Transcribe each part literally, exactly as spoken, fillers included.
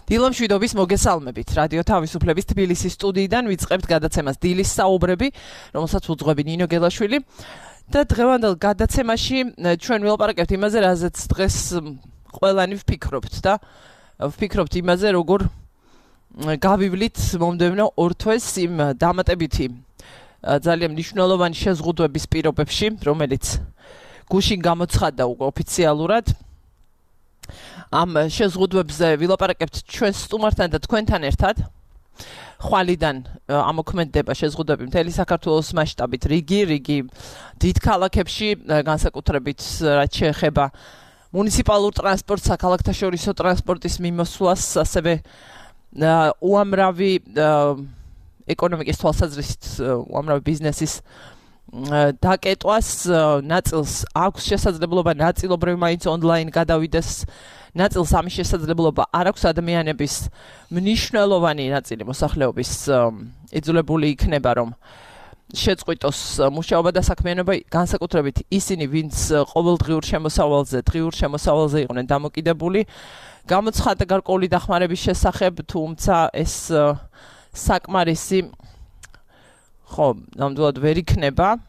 დილამშვიდობის მოგესალმებით. რადიო თავისუფლების თბილისის სტუდიიდან ვიწყებთ გადაცემას დილის საუბრები, რომელსაც უძღვები ნინო გელაშვილი. და დღევანდელ გადაცემაში ჩვენ ვილაპარაკებთ იმაზე, რაზეც დღეს ყველანი ვფიქრობთ და ვფიქრობთ იმაზე, როგორ გავივლით მომდევნო ორ თვეს იმ დამატებითი ძალიან მნიშვნელოვანი შეზღუდვების პირობებში, რომელიც გუშინ გამოცხადდა უკვე ოფიციალურად. ამ შეზღუდვებზე ვილაპარაკებთ ჩვენ სტუმართან და თქვენთან ერთად. ხვალიდან ამოქმედდება შეზღუდვები მთელი საქართველოს მასშტაბით, რიგი, რიგი დიდ ქალაქებში, განსაკუთრებით რაც შეეხება მუნიციპალურ ტრანსპორტს, საქალაქთაშორისო ტრანსპორტის მიმოსვლას, ასევე უამრავი ეკონომიკის თვალსაზრისით უამრავი ბიზნესის დაკეტვას, ნაწილს აქვს შესაძლებლობა ნაწილობრივ მაინც ონლაინ გადავიდეს, ნაწილს ამის შესაძლებლობა არ აქვს, ადამიანების მნიშვნელოვანი ნაწილი მოსახლეობის იძულებული იქნება, რომ შეწყვიტოს მუშაობა და საქმიანობა, განსაკუთრებით ისინი, ვინც ყოველდღიურ შემოსავალზე, დღიურ შემოსავალზე იყვნენ დამოკიდებული. გამოცხადდა გარკვეული დახმარების შესახებ, თუმცა ეს საკმარისი ხო, ნამდვილად ვერ იქნება.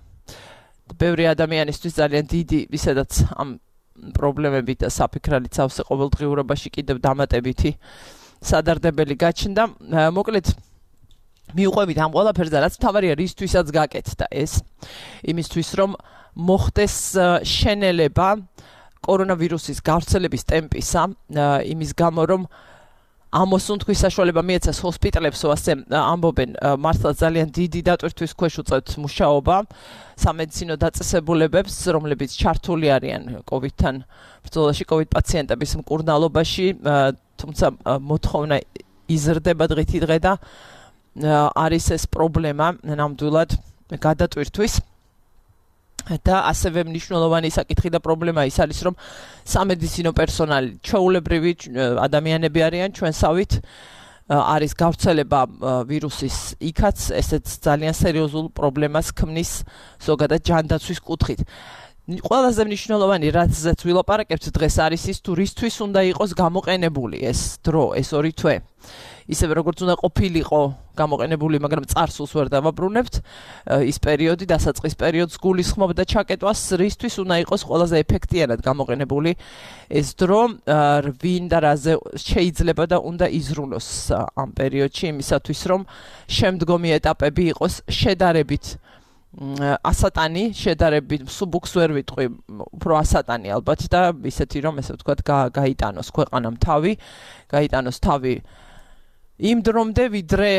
ბევრი ადამიანისთვის ძალიან დიდი, ისედაც ამ პრობლემებით და საფიქრალით სავსე ყოველდღიურობაში კიდევ დამატებითი სადარდებელი გაჩნდა. მოკლედ მიუყვებით ამ ყველაფერზე, რაც მთავარია რისთვისაც გაკეთდა ეს, იმისთვის რომ მოხდეს შენელება კორონავირუსის გავრცელების ტემპისა, იმის გამო რომ ამოსუნთქვის საშუალება მიეცეს ჰოსპიტალებსო, ასე ამბობენ, მართლა ძალიან დიდი დატვირთვის ქვეშ უწევთ მუშაობა სამედიცინო დაწესებულებებს, რომლებიც ჩართული არიან კოვიდთან ბრძოლაში, კოვიდ პაციენტების მკურნალობაში, თუმცა მოთხოვნა იზრდება დღითი დღე და არის ეს პრობლემა ნამდვილად გადატვირთვის. და ასევე მნიშვნელოვანი საკითხი და პრობლემა ის არის, რომ სამედიცინო პერსონალი, ჩვეულებრივი ადამიანები არიან ჩვენსავით, არის გავრცელება ვირუსის იქაც, ესეც ძალიან სერიოზულ პრობლემას ქმნის ზოგადად ჯანდაცვის კუთხით. ყველაზე მნიშვნელოვანი, რაზეც ვილაპარაკებთ დღეს, არის ის, თუ რისთვის უნდა იყოს გამოყენებული ეს დრო, ეს ორი თვე. ისევე როგორც უნდა ყოფილიყო გამოყენებული, მაგრამ წარსულს ვერ დავაბრუნებთ, ის პერიოდი, დასაწყის პერიოდს გულისხმობდა ჩაკეტვას, რისთვის უნდა იყოს ყველაზე ეფექტიანად გამოყენებული ეს დრო, ვინ და რაზე შეიძლება და უნდა იზრუნოს ამ პერიოდში, იმისათვის რომ შემდგომი ეტაპები იყოს შედარებით ასატანი, შედარებით მსუბუქს ვერ ვიტყვი, უფრო ასატანი ალბათ და ისეთი რომ ესე ვთქვათ გაიტანოს ქვეყანამ თავი, გაიტანოს თავი იმ დრომდე, ვიდრე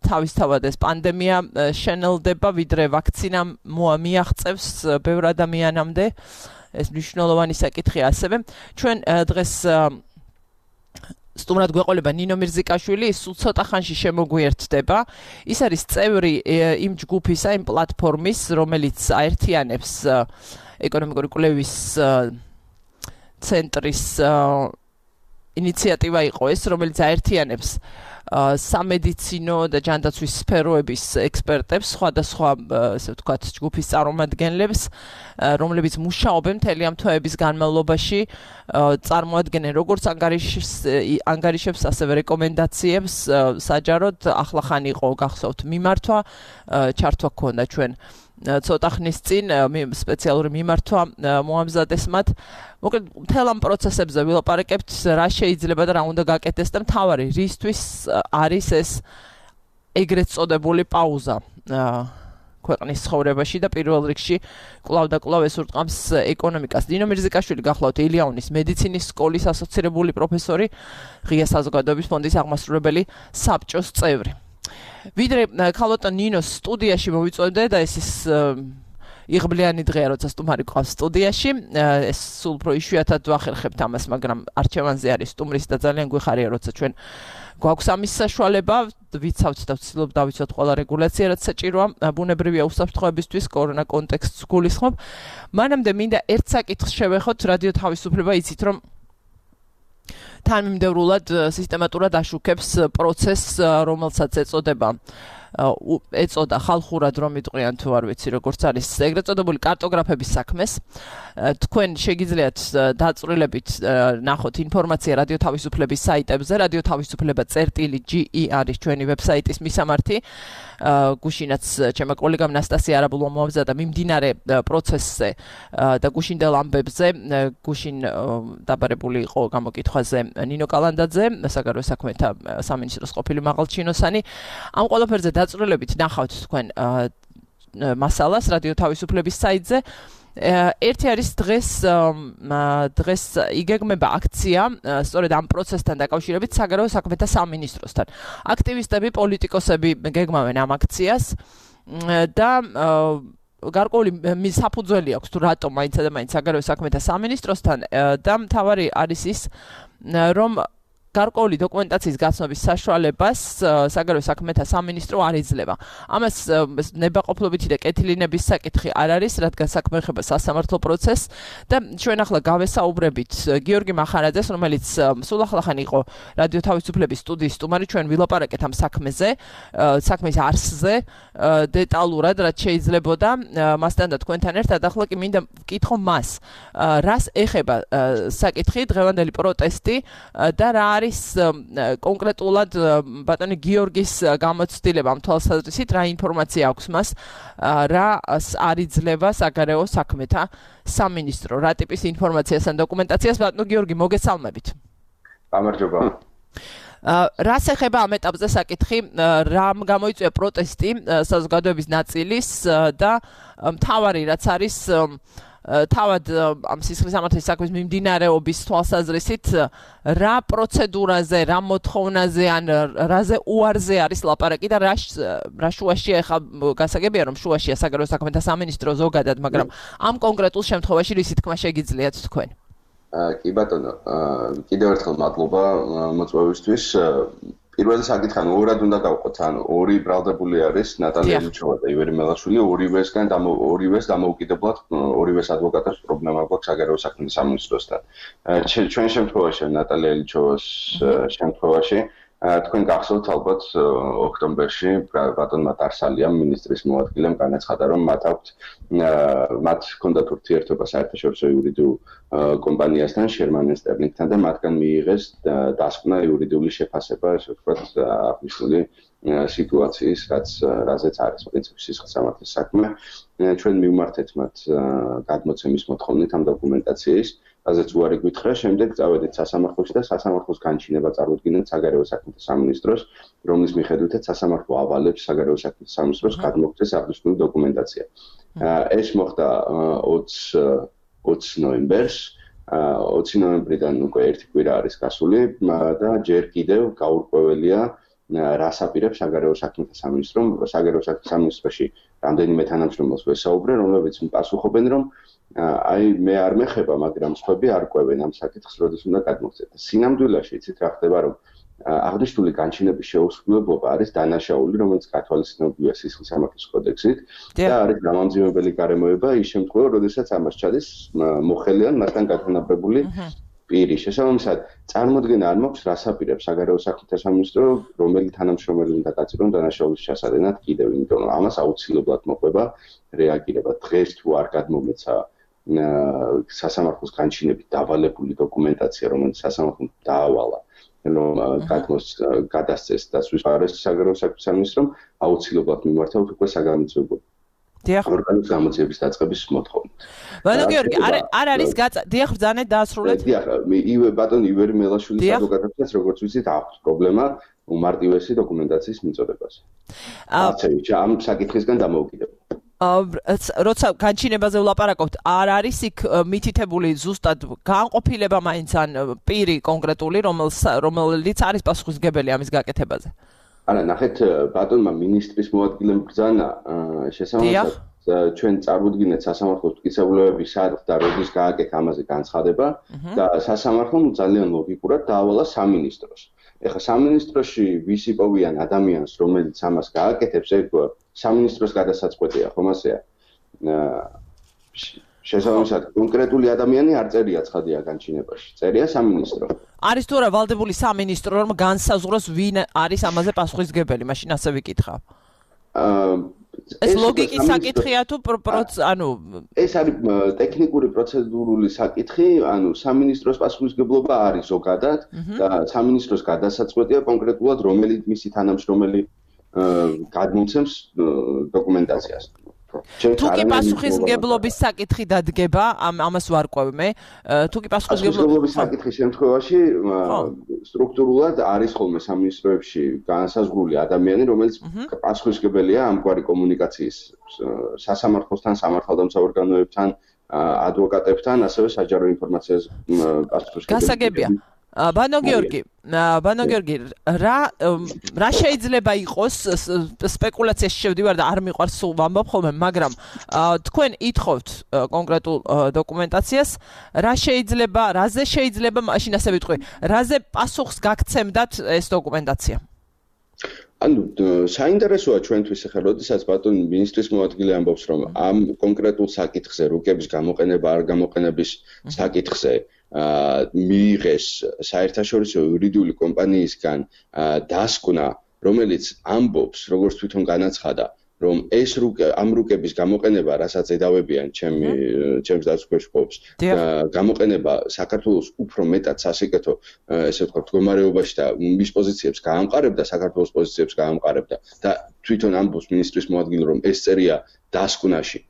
თავისთავად ეს პანდემია შენელდება, ვიდრე ვაქცინა მიაღწევს ბევრ ადამიანამდე, ეს მნიშვნელოვანი საკითხია ასევე. ჩვენ დღეს სტუმრად გვეყოლება ნინო მირზიკაშვილი, ის სულ ცოტა ხანში შემოგვიერთდება. ის არის წევრი იმ ჯგუფისა, იმ პლატფორმის, რომელიც აერთიანებს ეკონომიკური კვლევის ცენტრის ინიციატივა იყო ეს, რომელიც აერთიანებს სამედიცინო და ჯანდაცვის სფეროების ექსპერტებს, სხვადასხვა, ასე ვთქვათ, ჯგუფის წარმომადგენლებს, რომლებიც მუშაობენ მთელი ამ თვეების განმავლობაში, წარმოადგენენ როგორც ანგარიშებს, ასევე რეკომენდაციებს, საჯაროდ ახლახან იყო გახსოვთ მიმართვა, ჩართვა გქონდა ჩვენ ცოტა ხნის წინ სპეციალური მიმართვა მოამზადეს მათ. მოკლედ მთელ ამ პროცესებზე ვილაპარაკებთ, რა შეიძლება და რა უნდა გაკეთდეს და მთავარი რისთვის არის ეს ეგრეთ წოდებული პაუზა ქვეყნის ცხოვრებაში და პირველ რიგში კვლავ და კვლავ ეს ურტყამს ეკონომიკას. ნინო მირზიკაშვილი გახლავთ ილიანის მედიცინის სკოლის ასოცირებული პროფესორი, ღია საზოგადოების ფონდის აღმასრულებელი საბჭოს წევრი. ვიდრე ქალბატონ ნინოს სტუდიაში მოვიწოდე და ეს ის იღბლიანი დღეა, როცა სტუმარი ყავს სტუდიაში, ეს სულ უფრო იშვიათად ვახერხებთ ამას, მაგრამ არჩევანზე არის სტუმრის და ძალიან გვიხარია, როცა ჩვენ გვაქვს ამის საშუალება, ვიცავთ და ვცდილობ დავიცვათ ყველა რეგულაცია, რაც საჭიროა ბუნებრივია უსაფრთხოებისთვის, კორონა კონტექსტს გულისხმობ. მანამდე მინდა ერთ საკითხს შევეხოთ, რადიო თავისუფლება, იცით რომ თანმიმდევრულად სისტემატურად აშუქებს პროცესს, რომელსაც ეწოდება ეწოდა ხალხურად რომ იტყვიან თუ არ ვიცი როგორც არის ეგრეთ წოდებული კარტოგრაფების საქმეს. თქვენ შეგიძლიათ დაწვრილებით ნახოთ ინფორმაცია რადიო თავისუფლების საიტებზე, რადიო თავისუფლება წერტილი ჯი ი არის ჩვენი ვებსაიტის მისამართი. გუშინაც ჩემო კოლეგამ ნასტასია არაბულმა მოამზადა მიმდინარე პროცესზე და გუშინდელ ამბებზე, გუშინ დაბარებული იყო გამოკითხვაზე ნინო კალანდაძე, საგარეო საქმეთა სამინისტროს ყოფილი მაღალჩინოსანი. ამ ყველაფერზე დაწვრილებით ნახავთ თქვენ მასალას რადიო თავისუფლების საიტზე. ერთი არის დღეს დღეს იგეგმება აქცია სწორედ ამ პროცესთან დაკავშირებით საგარეო საქმეთა სამინისტროსთან. აქტივისტები, პოლიტიკოსები გეგმავენ ამ აქციას და გარკვეული საფუძველი აქვს თუ რატომ მაინც და მაინც საგარეო საქმეთა სამინისტროსთან და მთავარი არის ის რომ გარკვეული დოკუმენტაციის გაცნობის საშუალებას საგარეო საქმეთა სამინისტრო არ იძლევა. ამას ნებაყოფლობითი და კეთილინების საკითხი არ არის, რადგან საქმე ეხება სასამართლო პროცესს და ჩვენ ახლა გავესაუბრებით გიორგი მახარაძეს, რომელიც სულ ახლახან იყო რადიო თავისუფლების სტუდიის სტუმარი, ჩვენ ვილაპარაკეთ ამ საქმეზე, საქმის არსზე, დეტალურად, რაც შეიძლებოდა მასთან და თქვენთან ერთად. ახლა კი მინდა ვკითხო მას, რას ეხება საკითხი, დღევანდელი პროტესტი და რა არის კონკრეტულად ბატონი გიორგის გამოცდილება ამ თვალსაზრისით, რა ინფორმაცია აქვს მას, რა არ იძლევა საგარეო საქმეთა სამინისტრო, რა ტიპის ინფორმაციას ან დოკუმენტაციას. ბატონო გიორგი, მოგესალმებით. გამარჯობა. რას ეხება ამ ეტაპზე საკითხი, რამ გამოიწვია პროტესტი საზოგადოების ნაწილის და მთავარი რაც არის თავად ამ სისხლის სამართლის საქმის მიმდინარეობის თვალსაზრისით რა პროცედურაზე, რა მოთხოვნაზე ან რაზე უარზე არის ლაპარაკი და რა რა შუაშია ახლა გასაგებია რომ შუაშია საგარეო საქმეთა სამინისტრო ზოგადად, მაგრამ ამ კონკრეტულ შემთხვევაში რისი თქმა შეგიძლიათ თქვენ? კი ბატონო, კიდევ ერთხელ მადლობა მოწვევისთვის. პირველი საკითხი ანუ ორად უნდა გავყოთ, ანუ ორი ბრალდებული არის ნატალია ლიჩოვა და ივერი მელაშვილი, ორივესგან და ორივეს დამოუკიდებლად ორივეს ადვოკატებს პრობლემა გვაქვს საგარეო საქმეთა სამინისტროსთან. ჩვენ შემთხვევაში ნატალია ლიჩოვას შემთხვევაში თქვენ გახსოვთ ალბათ ოქტომბერში ბატონმა დარსალიამ მინისტრის მოადგილემ განაცხადა რომ მათ აქვთ მათ ჰქონდათ ურთიერთობა საერთაშორისო იურიდიულ კომპანიასთან შერმან ენდ სტერლინგთან და მათგან მიიღეს დასკვნა იურიდიული შეფასება, ესე ვთქვათ, აღნიშნული სიტუაციის, რაც რაზეც არის პრინციპში სისხლის სამართლის საქმე. ჩვენ მივმართეთ მათ გადმოცემის მოთხოვნით ამ დოკუმენტაციის, რაზეც უარი გვითხრა, შემდეგ წავედით სასამართლოში და სასამართლოს განჩინება წარუდგინეთ საგარეო საქმეთა სამინისტროს, რომლის მიხედვითაც სასამართლო ავალებს საგარეო საქმეთა სამინისტროს გადმოგცეს აღნიშნული დოკუმენტაცია. ეს მოხდა ოცი ნოემბერს, ოცი ნოემბრიდან უკვე ერთი კვირა არის გასული და ჯერ კიდევ გაურკვეველია რას აპირებს საგარეო საქმეთა სამინისტრომ. საგარეო საქმეთა სამინისტროში რამდენიმე თანამშრომელს ვესაუბრე, რომლებიც პასუხობენ, რომ აი მე არ მეხება, მაგრამ სხვები არ ყვევენ ამ საკითხს, როდის უნდა გადმოგცეთ. სინამდვილეში იცით რა ხდება, რომ აღნიშნული განჩინების შეუსრულებლობა არის დანაშაული, რომელიც გათვალისწინებულია სისხლის სამართლის კოდექსით და არის გამამძიმებელი გარემოება ის შემთხვევაში, როდესაც ამას ჩადის მოხელი ან მასთან გათანაბრებული პირი. შესაბამისად, წარმოდგენა არ მაქვს, რას აპირებს საგარეო საქმეთა სამინისტრო, რომელი თანამშრომელი უნდა გაწირონ დანაშაულის ჩასადენად კიდევ, იმიტომ რომ ამას აუცილებლად მოყვება რეაგირება. დღეს თუ არ გადმომეცა სასამართლოს განჩინებით დავალებული დოკუმენტაცია, რომელიც სასამართლომ დაავალა, რომ გადასცეს და სვიფარეს საგარეო საქმეთა სამინისტრომ, აუცილებლად მიმართავთ უკვე საგამოძიებო ორგანოს გამოძიების დაწყების მოთხოვნით. ბატონო გიორგი, არ არ არის გაცა, დიახ, ბრძანეთ დაასრულეთ. დიახ, ივე ბატონ ივერი მელაშვილის ადვოკატებსაც როგორც ვიცით, აქვს პრობლემა უმარტივესი დოკუმენტაციის მიწოდებაზე. ასე ამ საკითხისგან დამოუკიდებელ. როცა განჩინებაზე ვლაპარაკობთ, არ არის იქ მითითებული ზუსტად განყოფილება მაინც ან პირი კონკრეტული, რომელიც არის პასუხისმგებელი ამის გაკეთებაზე? არა, ნახეთ, ბატონმა მინისტრის მოადგილემ ბრძანა შესაბამისად ჩვენ წარუდგინეთ სასამართლოს მტკიცებულებები სად და როდის გააკეთა ამაზე განცხადება და სასამართლომ ძალიან ლოგიკურად დაავალა სამინისტროს. ეხლა სამინისტროში ვის იპოვიან ადამიანს, რომელიც ამას გააკეთებს, ეგ სამინისტროს გადასაწყვეტია, ხომ ასეა? შესაბამისად, კონკრეტული ადამიანი არ წერია ცხადია განჩინებაში. წერია სამინისტრო. არის თუ არა ვალდებული სამინისტრო, რომ განსაზღვროს ვინ არის ამაზე პასუხისმგებელი, მაშინ ასე ვიკითხავ. ეს ლოგიკის საკითხია თუ ანუ ეს არის ტექნიკური პროცედურული საკითხი, ანუ სამინისტროს პასუხისმგებლობა არის ზოგადად და სამინისტროს გადასაწყვეტია კონკრეტულად რომელი მისი თანამშრომელი გადმოცემს დოკუმენტაციას. თუ კი პასუხისმგებლობის საკითხი დადგება, ამას ვარკვევ მე, თუ კი პასუხისმგებლობის საკითხის შემთხვევაში სტრუქტურულად არის ხოლმე სამინისტროებში განსაზღვრული ადამიანი, რომელიც პასუხისმგებელია ამგვარი კომუნიკაციის სასამართლოსთან, სამართალდამცავ ორგანოებთან, ადვოკატებთან, ასევე საჯარო ინფორმაციას პასუხისმგებელია. გასაგებია. ბანო გიორგი, ბანო გიორგი, რა რა შეიძლება იყოს სპეკულაციაში შევდივარ და არ მიყვარს სულ ვამბობ ხოლმე, მაგრამ თქვენ ითხოვთ კონკრეტულ დოკუმენტაციას, რა შეიძლება, რაზე შეიძლება, მაშინ ასე ვიტყვი, რაზე პასუხს გაგცემდათ ეს დოკუმენტაცია? ანუ საინტერესოა ჩვენთვის ახლა, როდესაც ბატონი მინისტრის მოადგილე ამბობს, რომ ამ კონკრეტულ საკითხზე, რუკების გამოყენება არ გამოყენების საკითხზე მიიღეს საერთაშორისო იურიდიული კომპანიისგან დასკვნა, რომელიც ამბობს, როგორც თვითონ განაცხადა, რომ ეს ამ რუკების გამოყენება, რასაც ედავებიან ჩემი ჩემს დაწესებულებას, გამოყენება საქართველოს უფრო მეტად სასიკეთო, ესე ვთქვათ, მდგომარეობაში და მის პოზიციებს გაამყარებდა, საქართველოს პოზიციებს გაამყარებდა და თვითონ ამბობს მინისტრის მოადგილე, რომ ეს წერია დასკვნაში.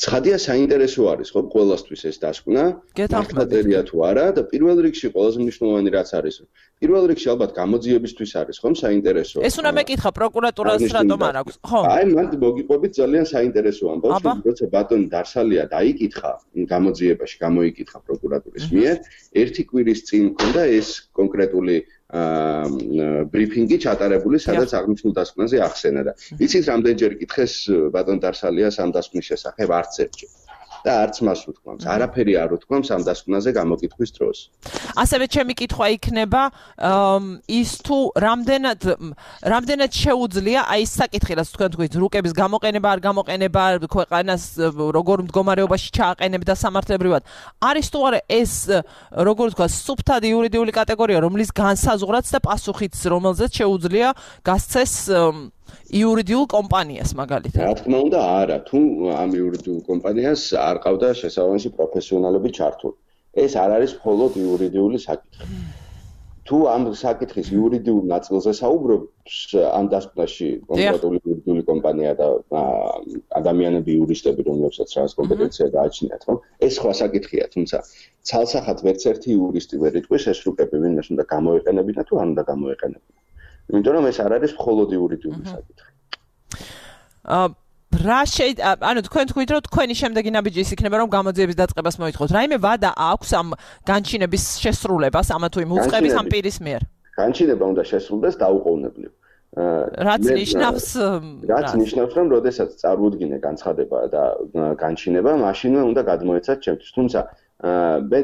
ცხადია საინტერესო არის, ხო, ყველასთვის ეს დასკვნა, მართლაწერია თუ არა და პირველ რიგში ყველაზე მნიშვნელოვანი რაც არის, პირველ რიგში ალბათ გამოძიებისთვის არის, ხომ, საინტერესო. ეს უნდა მეკითხა პროკურატურას რატომ არ აქვს, ხო? აი, მან მოგიყვებით ძალიან საინტერესო ამბავს, როცა ბატონი დარსალია დაიკითხა გამოძიებაში, გამოიკითხა პროკურატურის მიერ, ერთი კვირის წინ მქონდა ეს კონკრეტული ბრიფინგი ჩატარებული, სადაც აღნიშნულ დასკვნაზე ახსენა და იცით რამდენჯერ კითხეს ბატონ დარსალიას ამ დასკვნის შესახებ არც ერთჯერ და არც მას უთქვამს, არაფერი არ უთქვამს ამ დასკვნაზე გამოკითხვის დროს. ასევე ჩემი კითხვა იქნება ის თუ რამდენად რამდენად შეუძლია აი ეს საკითხი, რაც თქვენ თქვით, რუკების გამოყენება, არ გამოყენება, ქვეყანას როგორ მდგომარეობაში ჩააყენებდა სამართლებრივად. არის თუ არა ეს, როგორ ვთქვა, სუფთად იურიდიული კატეგორია, რომლის განსაზღვრაც და პასუხიც, რომელზეც შეუძლია გასცეს იურიდიულ კომპანიას მაგალითად. რა თქმა უნდა, არა, თუ ამ იურიდიულ კომპანიას არ ყავდა შესაბამისი პროფესიონალები ჩართული. ეს არ არის მხოლოდ იურიდიული საკითხი. თუ ამ საკითხის იურიდიულ ნაწილზე საუბრობს ამ დასკვნაში კონკრეტული იურიდიული კომპანია და ადამიანები, იურისტები, რომლებსაც რაღაც კომპეტენცია გააჩნიათ, ხო? ეს სხვა საკითხია, თუმცა ცალსახად ვერც ერთი იურისტი ვერ იტყვის ეს რუკები ვინმეს უნდა გამოეყენებინა თუ არ უნდა გამოეყენებინა. იმიტომ რომ ეს არ არის მხოლოდ იურიდიული საკითხი. აა რა შეიძლება, ანუ თქვენ თქვით, რომ თქვენი შემდეგი ნაბიჯი ის იქნება, რომ გამოძიების დაწყებას მოითხოვთ. რაიმე ვადა აქვს ამ განჩინების შესრულებას, ამა თუ იმ უწყების ამ პირის მიერ? განჩინება უნდა შესრულდეს დაუყოვნებლივ. რაც ნიშნავს რაც ნიშნავს, რომ როდესაც წარუდგინე განცხადება და განჩინება, მაშინვე უნდა გადმოეცათ ჩემთვის. თუმცა მე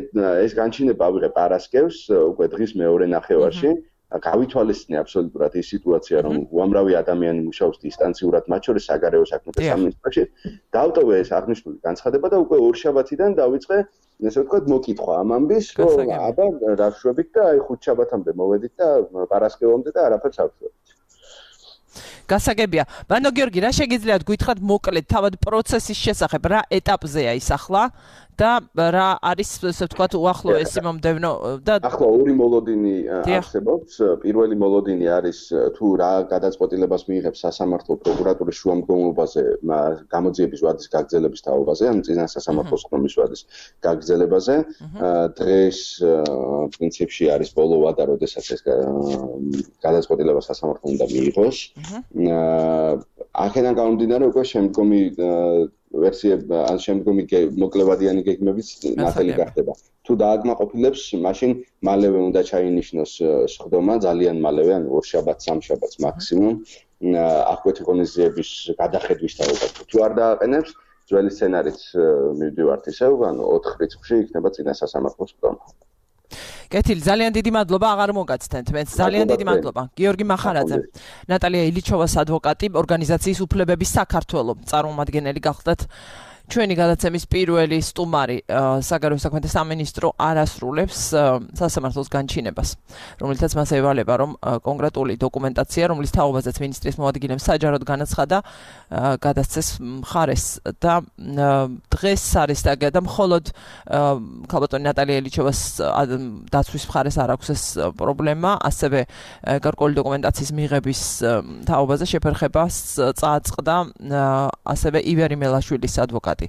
ეს განჩინება ავიღე პარასკევს, უკვე დღის მეორე ნახევარში. გავითვალისწინე აბსოლუტურად ის სიტუაცია, რომ უამრავი ადამიანი მუშაობს დისტანციურად, მათ შორის საგარეო საქმეთა სამინისტროში. დავტოვე ეს აღნიშნული განცხადება და უკვე ორშაბათიდან დავიწყე, ესე ვთქვათ, მოკითხვა ამ ამბის, რომ აბა რა ვშვებით და აი ხუთშაბათამდე მოვედით და პარასკევამდე და არაფერს არ ვშვებით. გასაგებია. ბანო გიორგი, რა შეგიძლიათ გითხრათ მოკლედ თავად პროცესის შესახებ, რა ეტაპზეა ის ახლა და რა არის, ესე ვთქვათ, უახლოესი მომდევნო და ახლა ორი მოლოდინი არსებობს. პირველი მოლოდინი არის თუ რა გადაწყვეტილებას მიიღებს სასამართლო პროკურატურის შუამდგომლობაზე გამოძიების ვადის გაგრძელების თაობაზე, ან წინა სასამართლოს ხმის ვადის გაგრძელებაზე. დღეს პრინციპში არის ბოლო ვადა, როდესაც ეს გადაწყვეტილება სასამართლომ უნდა მიიღოს. აქედან გამომდინარე უკვე შემდგომი ვერსიები, ან შემდგომი მოკლევადიანი გეგმებიც ნათელი გახდება. თუ დააკმაყოფილებს, მაშინ მალევე უნდა ჩაინიშნოს სხდომა, ძალიან მალევე, ანუ ორშაბათს, სამშაბათს მაქსიმუმ, აღკვეთი ღონისძიების გადახედვის თაობა. თუ არ დააყენებს, ძველი სცენარით მივდივართ ისევ, ანუ ოთხ რიცხვში იქნება წინა სასამართლოს სხდომა. კეთილი, ძალიან დიდი მადლობა, აღარ მოგაცდენთ მეც. ძალიან დიდი მადლობა. გიორგი მახარაძე, ნატალია ილიჩოვას ადვოკატი, ორგანიზაციის უფლებების საქართველოს წარმომადგენელი გახლდათ ჩვენი გადაცემის პირველი სტუმარი საგარეო საქმეთა სამინისტრო არ ასრულებს სასამართლოს განჩინებას, რომელთაც მას ევალება, რომ კონკრეტული დოკუმენტაცია, რომლის თაობაზეც მინისტრის მოადგილემ საჯაროდ განაცხადა, გადასცეს მხარეს და დღეს არის დაგა და მხოლოდ ქალბატონი ნატალია ელიჩოვას დაცვის მხარეს არ აქვს ეს პრობლემა, ასევე გარკვეული დოკუმენტაციის მიღების თაობაზე შეფერხებას წააწყდა ასევე ივერი მელაშვილის ადვოკატი.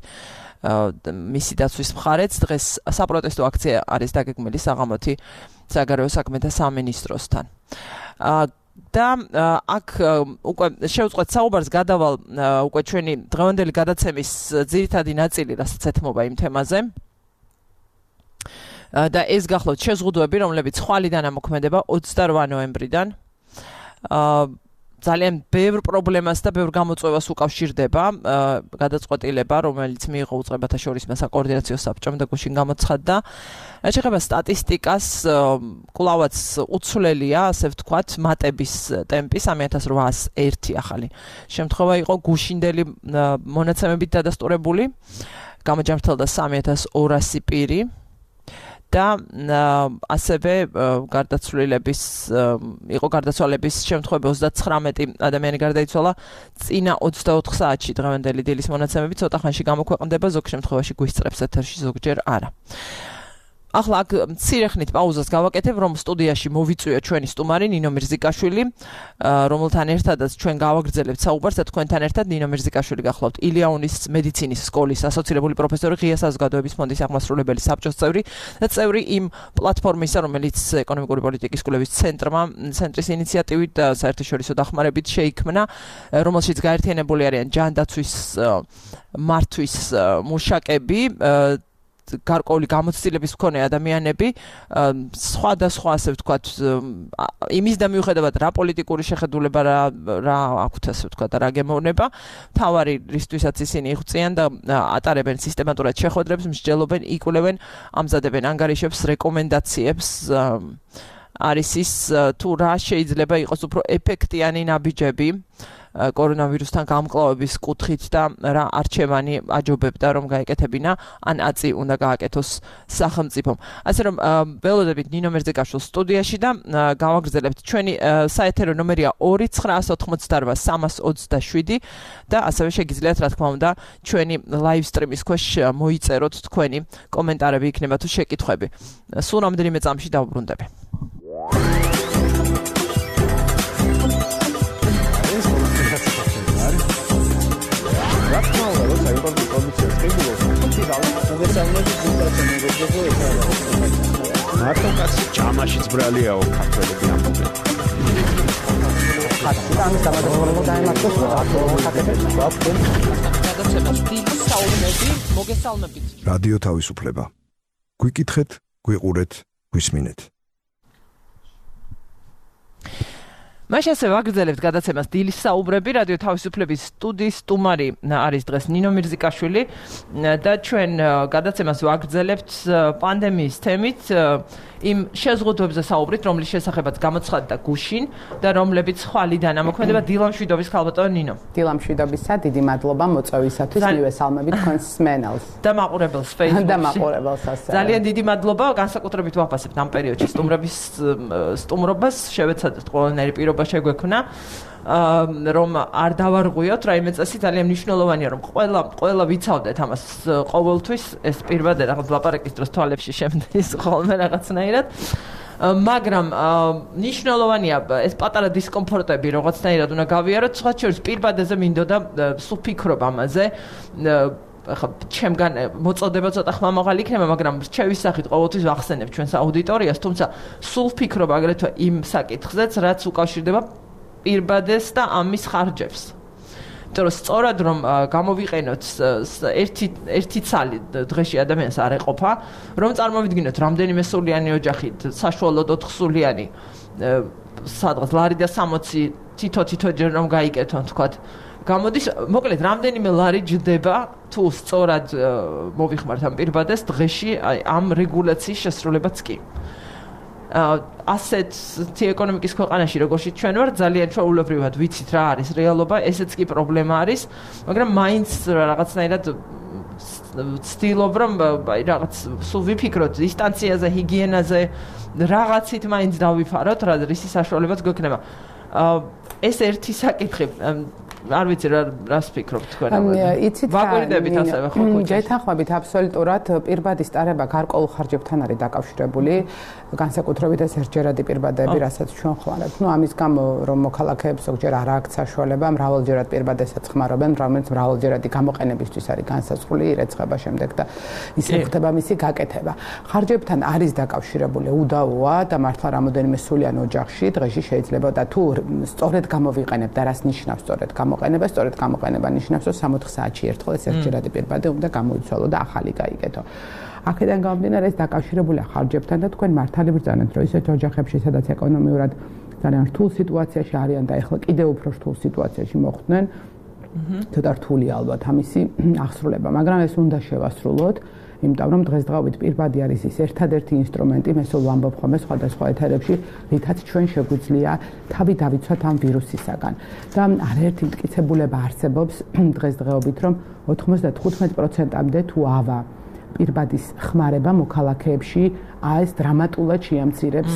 მისი დაცვის მხარეც დღეს საპროტესტო აქცია არის დაგეგმილი საღამოთი საგარეო საქმეთა სამინისტროსთან. და აქ უკვე შევწყვეტ საუბარს გადავალ უკვე ჩვენი დღევანდელი გადაცემის ძირითადი ნაწილი, რასაც ეთმობა იმ თემაზე. და ეს გახლავთ შეზღუდვები, რომლებიც ხვალიდან ამოქმედება ოცდარვა ნოემბრიდან. ძალიან ბევრ პრობლემას და ბევრ გამოწვევას უკავშირდება გადაწყვეტილება, რომელიც მიიღო უწყებათა შორის საკოორდინაციო საბჭომ და გუშინ გამოცხადდა. შეეხება სტატისტიკას, კვლავაც უცვლელია, ასე ვთქვათ, მატების ტემპი სამი ათას რვაას ერთი ახალი შემთხვევა იყო გუშინდელი მონაცემებით დადასტურებული, გამოჯამრთელდა სამი ათას ორასი პირი. და ასევე გარდაცვლილების იყო გარდაცვალების შემთხვევები ოცდაცხრამეტი ადამიანი გარდაიცვალა წინა ოცდაოთხ საათში დღევანდელი დილის მონაცემები ცოტა ხანში გამოქვეყნდება, ზოგ შემთხვევაში გვისწრებს ეთერში, ზოგჯერ არა. ახლა აქ მცირე ხნით პაუზას გავაკეთებ, რომ სტუდიაში მოვიწვია ჩვენი სტუმარი ნინო მირზიკაშვილი, რომელთან ერთადაც ჩვენ გავაგრძელებთ საუბარს და თქვენთან ერთად ნინო მირზიკაშვილი გახლავთ ილიაუნის მედიცინის სკოლის ასოცირებული პროფესორი, ღია საზოგადოების ფონდის აღმასრულებელი საბჭოს წევრი და წევრი იმ პლატფორმისა, რომელიც ეკონომიკური პოლიტიკის კვლევის ცენტრმა, ცენტრის ინიციატივით და საერთაშორისო დახმარებით შეიქმნა, რომელშიც გაერთიანებული არიან ჯანდაცვის მართვის მუშაკები, გარკვეული გამოცდილების მქონე ადამიანები, სხვადასხვა, ასე ვთქვათ, იმის და მიუხედავად რა პოლიტიკური შეხედულება რა რა აქვთ, ასე ვთქვათ, რა გემოვნება, თავარი რისთვისაც ისინი იღვწიან და ატარებენ სისტემატურად შეხვედრებს, მსჯელობენ, იკვლევენ, ამზადებენ ანგარიშებს, რეკომენდაციებს, არის ის თუ რა შეიძლება იყოს უფრო ეფექტიანი ნაბიჯები კორონავირუსთან გამკლავების კუთხით და რა არჩევანი აჯობებდა რომ გაეკეთებინა ან აწი უნდა გააკეთოს სახელმწიფომ. ასე რომ ველოდებით ნინო მირზიკაშვილს სტუდიაში და გავაგრძელებთ ჩვენი საეთერო ნომერია ორი ცხრაას ოთხმოცდარვა სამას ოცდაშვიდი და ასევე შეგიძლიათ რა თქმა უნდა ჩვენი live stream-ის ქვეშ მოიწეროთ თქვენი კომენტარები, იქნება თუ შეკითხვები. სულ რამდენიმე წამში დავბრუნდები. Rakmal var, o sayı var, bir komisyon çıkıyor. Çünkü zaten o vesaire bir zaten negociye yapıyor. Marto kasi çamaşır zbraliya o katıldı yaptı. Hatta আমি সামাজিক কর্মকর্তায় মাত্র რადიო თავისუფლება. გვიკითხეთ, გვიყურეთ, გვისმინეთ. მაშინ ასე ვაგრძელებთ გადაცემას დილის საუბრები, რადიო თავისუფლების სტუდიის სტუმარი არის დღეს ნინო მირზიკაშვილი და ჩვენ გადაცემას ვაგრძელებთ პანდემიის თემით, იმ შეზღუდვებზე საუბრით, რომლის შესახებაც გამოცხადდა გუშინ და რომლებიც ხვალიდან ამოქმედება. დილამშვიდობის ქალბატონო ნინო. დილამშვიდობისა, დიდი მადლობა მოწვევისათვის, მივესალმებით თქვენს მსმენელს. და მაყურებელს Facebook-ში. და მაყურებელს ასე. ძალიან დიდი მადლობა, განსაკუთრებით ვაფასებთ ამ პერიოდში სტუმრების სტუმრობას, შევეცადეთ ყველანაირი პირობა შეგვექნა, რომ არ დავარღვიოთ რაიმე წესი, ძალიან მნიშვნელოვანია, რომ ყველა ყველა ვიცავდეთ ამას ყოველთვის, ეს პირბადე რაღაც ლაპარაკის დროს თვალებში შემდის ხოლმე რაღაცნაირად. მაგრამ მნიშვნელოვანია ეს პატარა დისკომფორტები რაღაცნაირად უნდა გავიაროთ, სხვა შორის პირბადეზე მინდოდა სულ ფიქრობ ამაზე. ახლა ჩემგან მოწოდება ცოტა ხმამაღალი იქნება, მაგრამ რჩევის სახით ყოველთვის ვახსენებ ჩვენს აუდიტორიას, თუმცა სულ ფიქრობ აგრეთვე იმ საკითხზეც, რაც უკავშირდება პირბადეს და ამის ხარჯებს. იმიტომ რომ სწორად რომ გამოვიყენოთ ერთი ერთი ცალი დღეში ადამიანს არ ეყოფა, რომ წარმოვიდგინოთ რამდენიმე სულიანი ოჯახი, საშუალოდ ოთხსულიანი, სადღაც ლარი და სამოცი თითო-თითო ჯერ რომ გაიკეთონ, თქვათ, გამოდის, მოკლედ, რამდენიმე ლარი ჯდება თუ სწორად მოვიხმართ ამ პირბადეს დღეში ამ რეგულაციის შესრულებაც კი. ასეთ ეკონომიკის ქვეყანაში, როგორიც ჩვენ ვართ, ძალიან ჩვეულებრივად ვიცით რა არის რეალობა, ესეც კი პრობლემა არის, მაგრამ მაინც რაღაცნაირად ვცდილობ რომ აი რაღაც სულ ვიფიქროთ დისტანციაზე, ჰიგიენაზე, რაღაცით მაინც დავიფაროთ, რა რისი საშუალებაც გვექნება. ეს ერთი საკითხი არ ვიცი რა რას ფიქრობთ თქვენ იცით ვაკვირდებით ასევე ხო ხო გეთანხმებით აბსოლუტურად პირბადი სტარება გარკვეულ ხარჯებთან არის დაკავშირებული განსაკუთრებით ეს ერთჯერადი პირბადები რასაც ჩვენ ხმარებთ ნუ ამის გამო რომ მოქალაქეებს ზოგჯერ არ აქვს საშუალება მრავალჯერად პირბადებსაც ხმარობენ რომელიც მრავალჯერადი გამოყენებისთვის არის განსაზღვრული ირეცხება შემდეგ და ისე ხდება მისი გაკეთება ხარჯებთან არის დაკავშირებული უდავოა და მართლა რამოდენიმე სულიან ოჯახში დღეში შეიძლება და თუ სწორედ გამოვიყენებთ და რას ნიშნავს სწორედ გამოყენება სწორედ გამოყენება ნიშნავს რომ სამოთხ საათში ერთხელ ეს ერთჯერადი პირბადე უნდა გამოიცვალო და ახალი გაიგეთო. აქედან გამომდინარე ეს დაკავშირებულია ხარჯებთან და თქვენ მართალი ბრძანეთ რომ ისეთ ოჯახებში სადაც ეკონომიურად ძალიან რთულ სიტუაციაში არიან და ეხლა კიდევ უფრო რთულ სიტუაციაში მოხვდნენ ცოტა რთულია ალბათ ამისი აღსრულება მაგრამ ეს უნდა შევასრულოთ იმიტომ რომ დღესდღეობით პირბადი არის ის ერთადერთი ინსტრუმენტი მე სულ ვამბობ ხოლმე სხვადასხვა ეთერებში რითაც ჩვენ შეგვიძლია თავი დავიცვათ ამ ვირუსისაგან და არაერთი მტკიცებულება არსებობს დღესდღეობით რომ ოთხმოცდათხუთმეტ პროცენტამდე თუ ავა პირბადის ხმარება მოქალაქეებში აეს დრამატულად შეამცირებს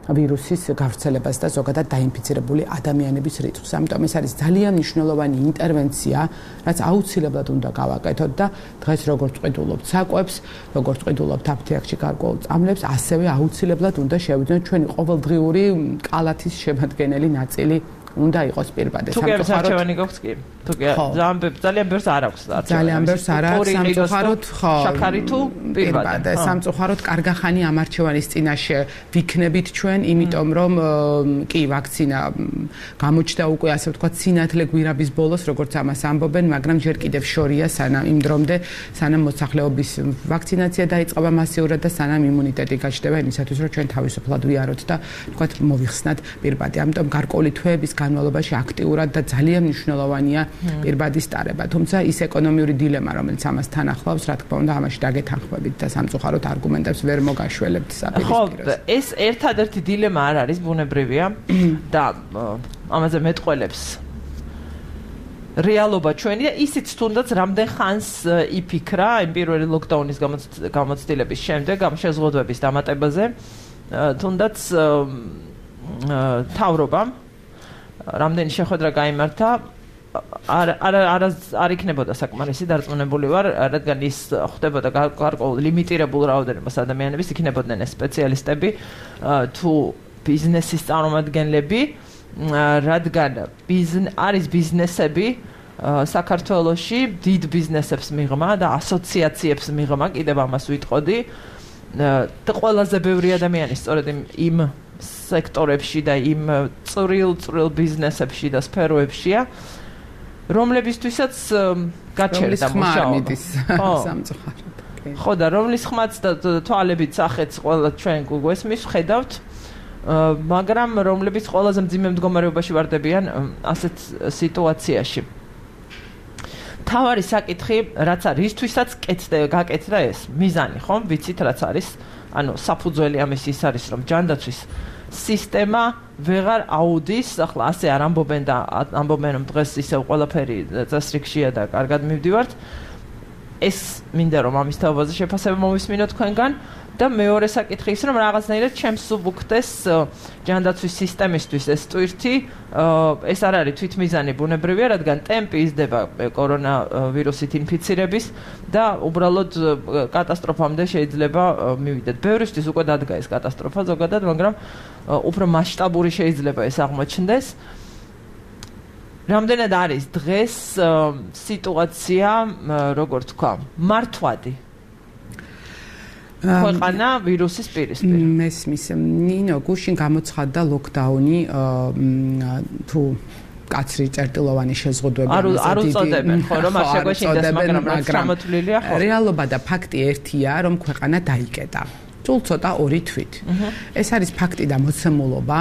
ვირუსის გავრცელებას და ზოგადად დაინფიცირებული ადამიანების რიცხვს. ამიტომ ეს არის ძალიან მნიშვნელოვანი ინტერვენცია, რაც აუცილებლად უნდა გავაკეთოთ და დღეს როგორც ყიდულობთ საკვებს, როგორც ყიდულობთ აფთიაქში გარკვეულ წამლებს, ასევე აუცილებლად უნდა შევიძინოთ ჩვენი ყოველდღიური კალათის შემადგენელი ნაწილი უნდა იყოს პირბადე. სამწუხაროდ არჩევანი გვაქვს კი. თუ კი ძალიან ძალიან ბევრს არ აქვს არჩევანი. ძალიან ბევრს არ აქვს სამწუხაროდ ხო. შაქარი თუ პირბადე. სამწუხაროდ კარგახანი ამ არჩევანის წინაშე ვიქნებით ჩვენ, იმიტომ რომ კი ვაქცინა გამოჩნდა უკვე ასე ვთქვათ სინათლე გვირაბის ბოლოს, როგორც ამას ამბობენ, მაგრამ ჯერ კიდევ შორია სანამ იმ დრომდე, სანამ მოსახლეობის ვაქცინაცია დაიწყება მასიურად და სანამ იმუნიტეტი გაჩნდება იმისათვის, რომ ჩვენ თავისუფლად ვიაროთ და ვთქვათ მოვიხსნათ პირბადე. ამიტომ გარკვეული თვეების განმავლობაში აქტიურად და ძალიან მნიშვნელოვანია პირბადის ტარება. თუმცა ის ეკონომიური დილემა, რომელიც ამასთან ახლავს, რა თქმა უნდა, ამაში დაგეთანხმებით და სამწუხაროდ არგუმენტებს ვერ მოგაშველებთ საპირისპიროს. ხო, ეს ერთადერთი დილემა არ არის, ბუნებრივია და ამაზე მეტყველებს რეალობა ჩვენი და ისიც თუნდაც რამდენ ხანს იფიქრა იმ პირველი ლოკდაუნის გამოცდილების შემდეგ ამ შეზღუდვების დამატებაზე, თუნდაც თავრობამ რამდენი შეხვედრა გაიმართა არ არ არ არ იქნებოდა საკმარისი დარწმუნებული ვარ რადგან ის ხდებოდა გარკვეულ ლიმიტირებულ რაოდენობას ადამიანების იქნებოდნენ ეს სპეციალისტები თუ ბიზნესის წარმომადგენლები რადგან არის ბიზნესები საქართველოში დიდ ბიზნესებს მიღმა და ასოციაციებს მიღმა კიდევ ამას ვიტყოდი და ყველაზე ბევრი ადამიანი სწორედ იმ სექტორებში და იმ წვრილ წვრილ ბიზნესებში და სფეროებშია რომლებისთვისაც გაჩერდა მუშაობა. სამწუხაროდ. ხო და რომლის ხმაც და თვალებით სახეც ყველა ჩვენ გვესმის ხედავთ, მაგრამ რომლებიც ყველაზე მძიმე მდგომარეობაში ვარდებიან ასეთ სიტუაციაში. თავარი საკითხი, რაც არის ისთვისაც გაკეთდა ეს მიზანი, ხო? ვიცით რაც არის, ანუ საფუძველი ამის ის არის, რომ ჯანდაცვის სისტემა ვეღარ აუდის, ახლა ასე არ ამბობენ და ამბობენ რომ დღეს ისევ ყველაფერი წესრიგშია და კარგად მივდივართ. ეს მინდა რომ ამის თავაზე შეფასება მოვისმინოთ თქვენგან და მეორე საკითხი ის რომ რაღაცნაირად ჩემს სუბუქდეს ჯანდაცვის სისტემისთვის ეს ტვირთი, ეს არ არის თვითმიზანი ბუნებრივია, რადგან ტემპი იზრდება კორონავირუსით ინფიცირების და უბრალოდ კატასტროფამდე შეიძლება მივიდეთ. ბევრისთვის უკვე დადგა ეს კატასტროფა ზოგადად, მაგრამ უფრო მასშტაბური შეიძლება ეს აღმოჩნდეს. რამდენად არის დღეს სიტუაცია, როგორ თქვა, მართვადი ქვეყანა ვირუსის პირისპირ. მესმის ნინო გუშინ გამოცხადდა ლოკდაუნი თუ კაცრი წერტილოვანი შეზღუდვები არ უწოდებენ ხო რომ არ შეგვეშინდეს მაგრამ რაც გამოთვლილია ხო რეალობა და ფაქტი ერთია რომ ქვეყანა დაიკეტა. სულ ცოტა ორი თვით. ეს არის ფაქტი და მოცემულობა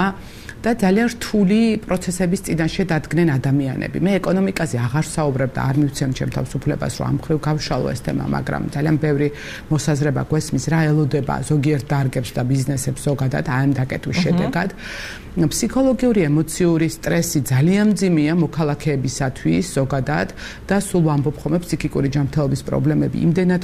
და ძალიან რთული პროცესების წინაშე დადგნენ ადამიანები. მე ეკონომიკაზე აღარ საუბრებ და არ მივცემ ჩემ თავისუფლებას, რომ ამ ხრივ გავშალო ეს თემა, მაგრამ ძალიან ბევრი მოსაზრება გვესმის, რა ელოდება ზოგიერთ დარგებს და ბიზნესებს ზოგადად ამ დაკეტვის შედეგად. ფსიქოლოგიური, ემოციური სტრესი ძალიან მძიმეა მოქალაქეებისათვის ზოგადად და სულ ვამბობ ხოლმე ფსიქიკური ჯანმრთელობის პრობლემები იმდენად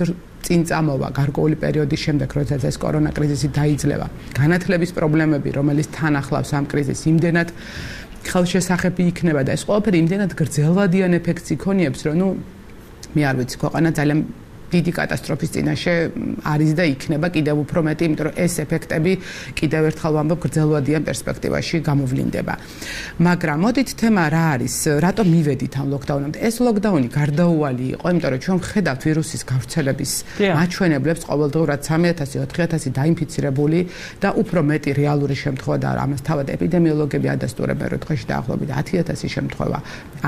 წინ წამოვა გარკვეული პერიოდის შემდეგ, როდესაც ეს კორონა კრიზისი დაიძლევა. განათლების პრობლემები, რომელიც თან ახლავს ამ კრიზისს, იმდენად ხელშესახები იქნება და ეს ყველაფერი იმდენად გრძელვადიან ეფექტს იქონიებს, რომ ნუ მე არ ვიცი, ქვეყანა ძალიან დიდი კატასტროფის წინაშე არის და იქნება კიდევ უფრო მეტი, იმიტომ რომ ეს ეფექტები კიდევ ერთხელ ვამბობ გრძელვადიან პერსპექტივაში გამოვლინდება. მაგრამ მოდით თემა რა არის, რატომ მივედით ამ ლოკდაუნამდე? ეს ლოკდაუნი გარდაუვალი იყო, იმიტომ რომ ჩვენ ვხედავთ ვირუსის გავრცელების მაჩვენებლებს, ყოველდღურად სამი ათასი ოთხი ათასი დაინფიცირებული და უფრო მეტი რეალური შემთხვევა და ამას თავად ეპიდემიოლოგები ადასტურებენ, რომ დღეში დაახლოებით ათი ათასი შემთხვევა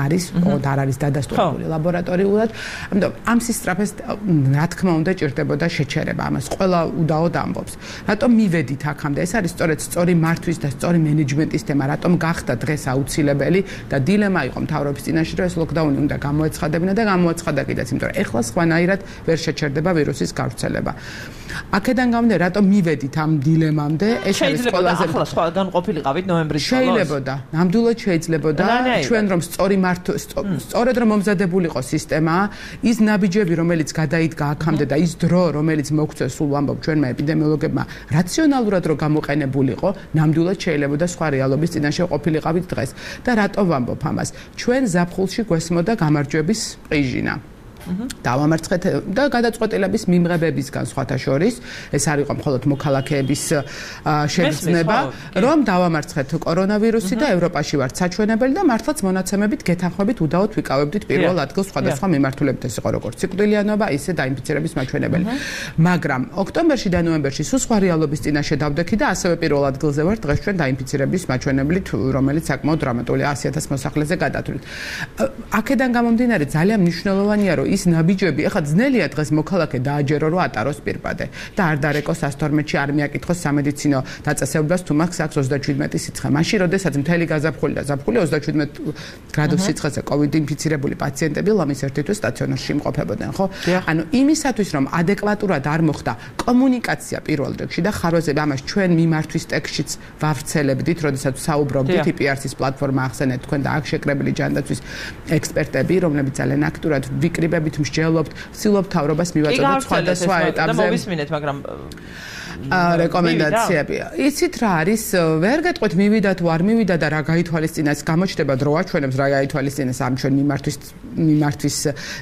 არის, ოღონდ არ არის დადასტურებული ლაბორატორიულად. ამიტომ ამ სისწრაფეს რა თქმა უნდა ჭირდებოდა შეჩერება, ამას ყველა უდაოდ ამბობს. რატომ მივედით აქამდე? ეს არის სწორედ სწორი მართვის და სწორი მენეჯმენტის თემა, რატომ გახდა დღეს აუცილებელი და დილემა იყო მთავრობის წინაშე, რომ ეს ლოკდაუნი უნდა გამოეცხადებინა და გამოაცხადა კიდეც, იმიტომ რომ ეხლა სხვანაირად ვერ შეჩერდება ვირუსის გავრცელება. აქედან გამომდინარე, რატომ მივედით ამ დილემამდე? ეს არის ყველაზე ახლა სხვა განყოფილიყავით ნოემბრის ბოლოს. შეიძლებოდა, ნამდვილად შეიძლებოდა, ჩვენ რომ სწორი მართვა, სწორედ რომ მომზადებულიყო სისტემა, ის ნაბიჯები, რომელიც გადაიდგა აქამდე და ის დრო, რომელიც მოგვწევს, სულ ვამბობ ჩვენმა ეპიდემიოლოგებმა, რაციონალურად რო გამოყენებულიყო, ნამდვილად შეიძლებოდა სხვა რეალობის წინაშე ყოფილიყავით დღეს. და რატომ ვამბობ ამას? ჩვენ ზაფხულში გვესმოდა გამარჯვების ყიჟინა. დავამარცხეთ და გადაწყვეტილების მიმღებებისგან სხვათა შორის, ეს არ იყო მხოლოდ მოქალაქეების შეგრძნება, რომ დავამარცხეთ კორონავირუსი და ევროპაში ვართ საჩვენებელი და მართლაც მონაცემებით გეთანხმებით უდაოდ ვიკავებდით პირველ ადგილს სხვადასხვა მიმართულებით, ეს იყო როგორც სიკვდილიანობა, ისე დაინფიცირების მაჩვენებელი. მაგრამ ოქტომბერში და ნოემბერში სულ სხვა რეალობის წინაშე დავდექი და ასევე პირველ ადგილზე ვართ დღეს ჩვენ დაინფიცირების მაჩვენებლით, რომელიც საკმაოდ დრამატულია ათი ათას მოსახლეზე გადათვლით. აქედან გამომდინარე ძალიან მნიშვნელოვანია, რომ ის ნაბიჯები, ახლა ძნელია დღეს მოქალაქე დააჯერო, რომ ატაროს პირბადე და არ დარეკოს ასთორმეთში, არ მიაკითხოს სამედიცინო დაწესებულებას, თუ მაქვს აქვს ოცდაჩვიდმეტი სიცხე. მაშინ, როდესაც მთელი გაზაფხული და ზაფხული ოცდაჩვიდმეტ გრადუს სიცხეზე კოვიდ ინფიცირებული პაციენტები ლამის ერთი თვის სტაციონარში იმყოფებოდნენ, ხო? ანუ იმისათვის, რომ ადეკვატურად არ მოხდა კომუნიკაცია პირველ რიგში და ხარვაზე ამას ჩვენ მიმართვის ტექსტშიც ვავრცელებდით, როდესაც საუბრობდით ი პი არ სის პლატფორმა ახსენეთ თქვენ და აქ შეკრებილი ჯანდაცვის ექსპერტები, რომლებიც ძალიან აქტიურად ვიკრიბებთ მსჯელობთ, ვცდილობთ თავრობას მივაწოდოთ სხვადასხვა ეტაპზე. მოვისმინეთ, მაგრამ რეკომენდაციები. იცით რა არის? ვერ გეტყვით მივიდა თუ არ მივიდა და რა გაითვალისწინა, ეს გამოჩნდება დრო აჩვენებს რა გაითვალისწინეს ამ ჩვენ მიმართვის მიმართვის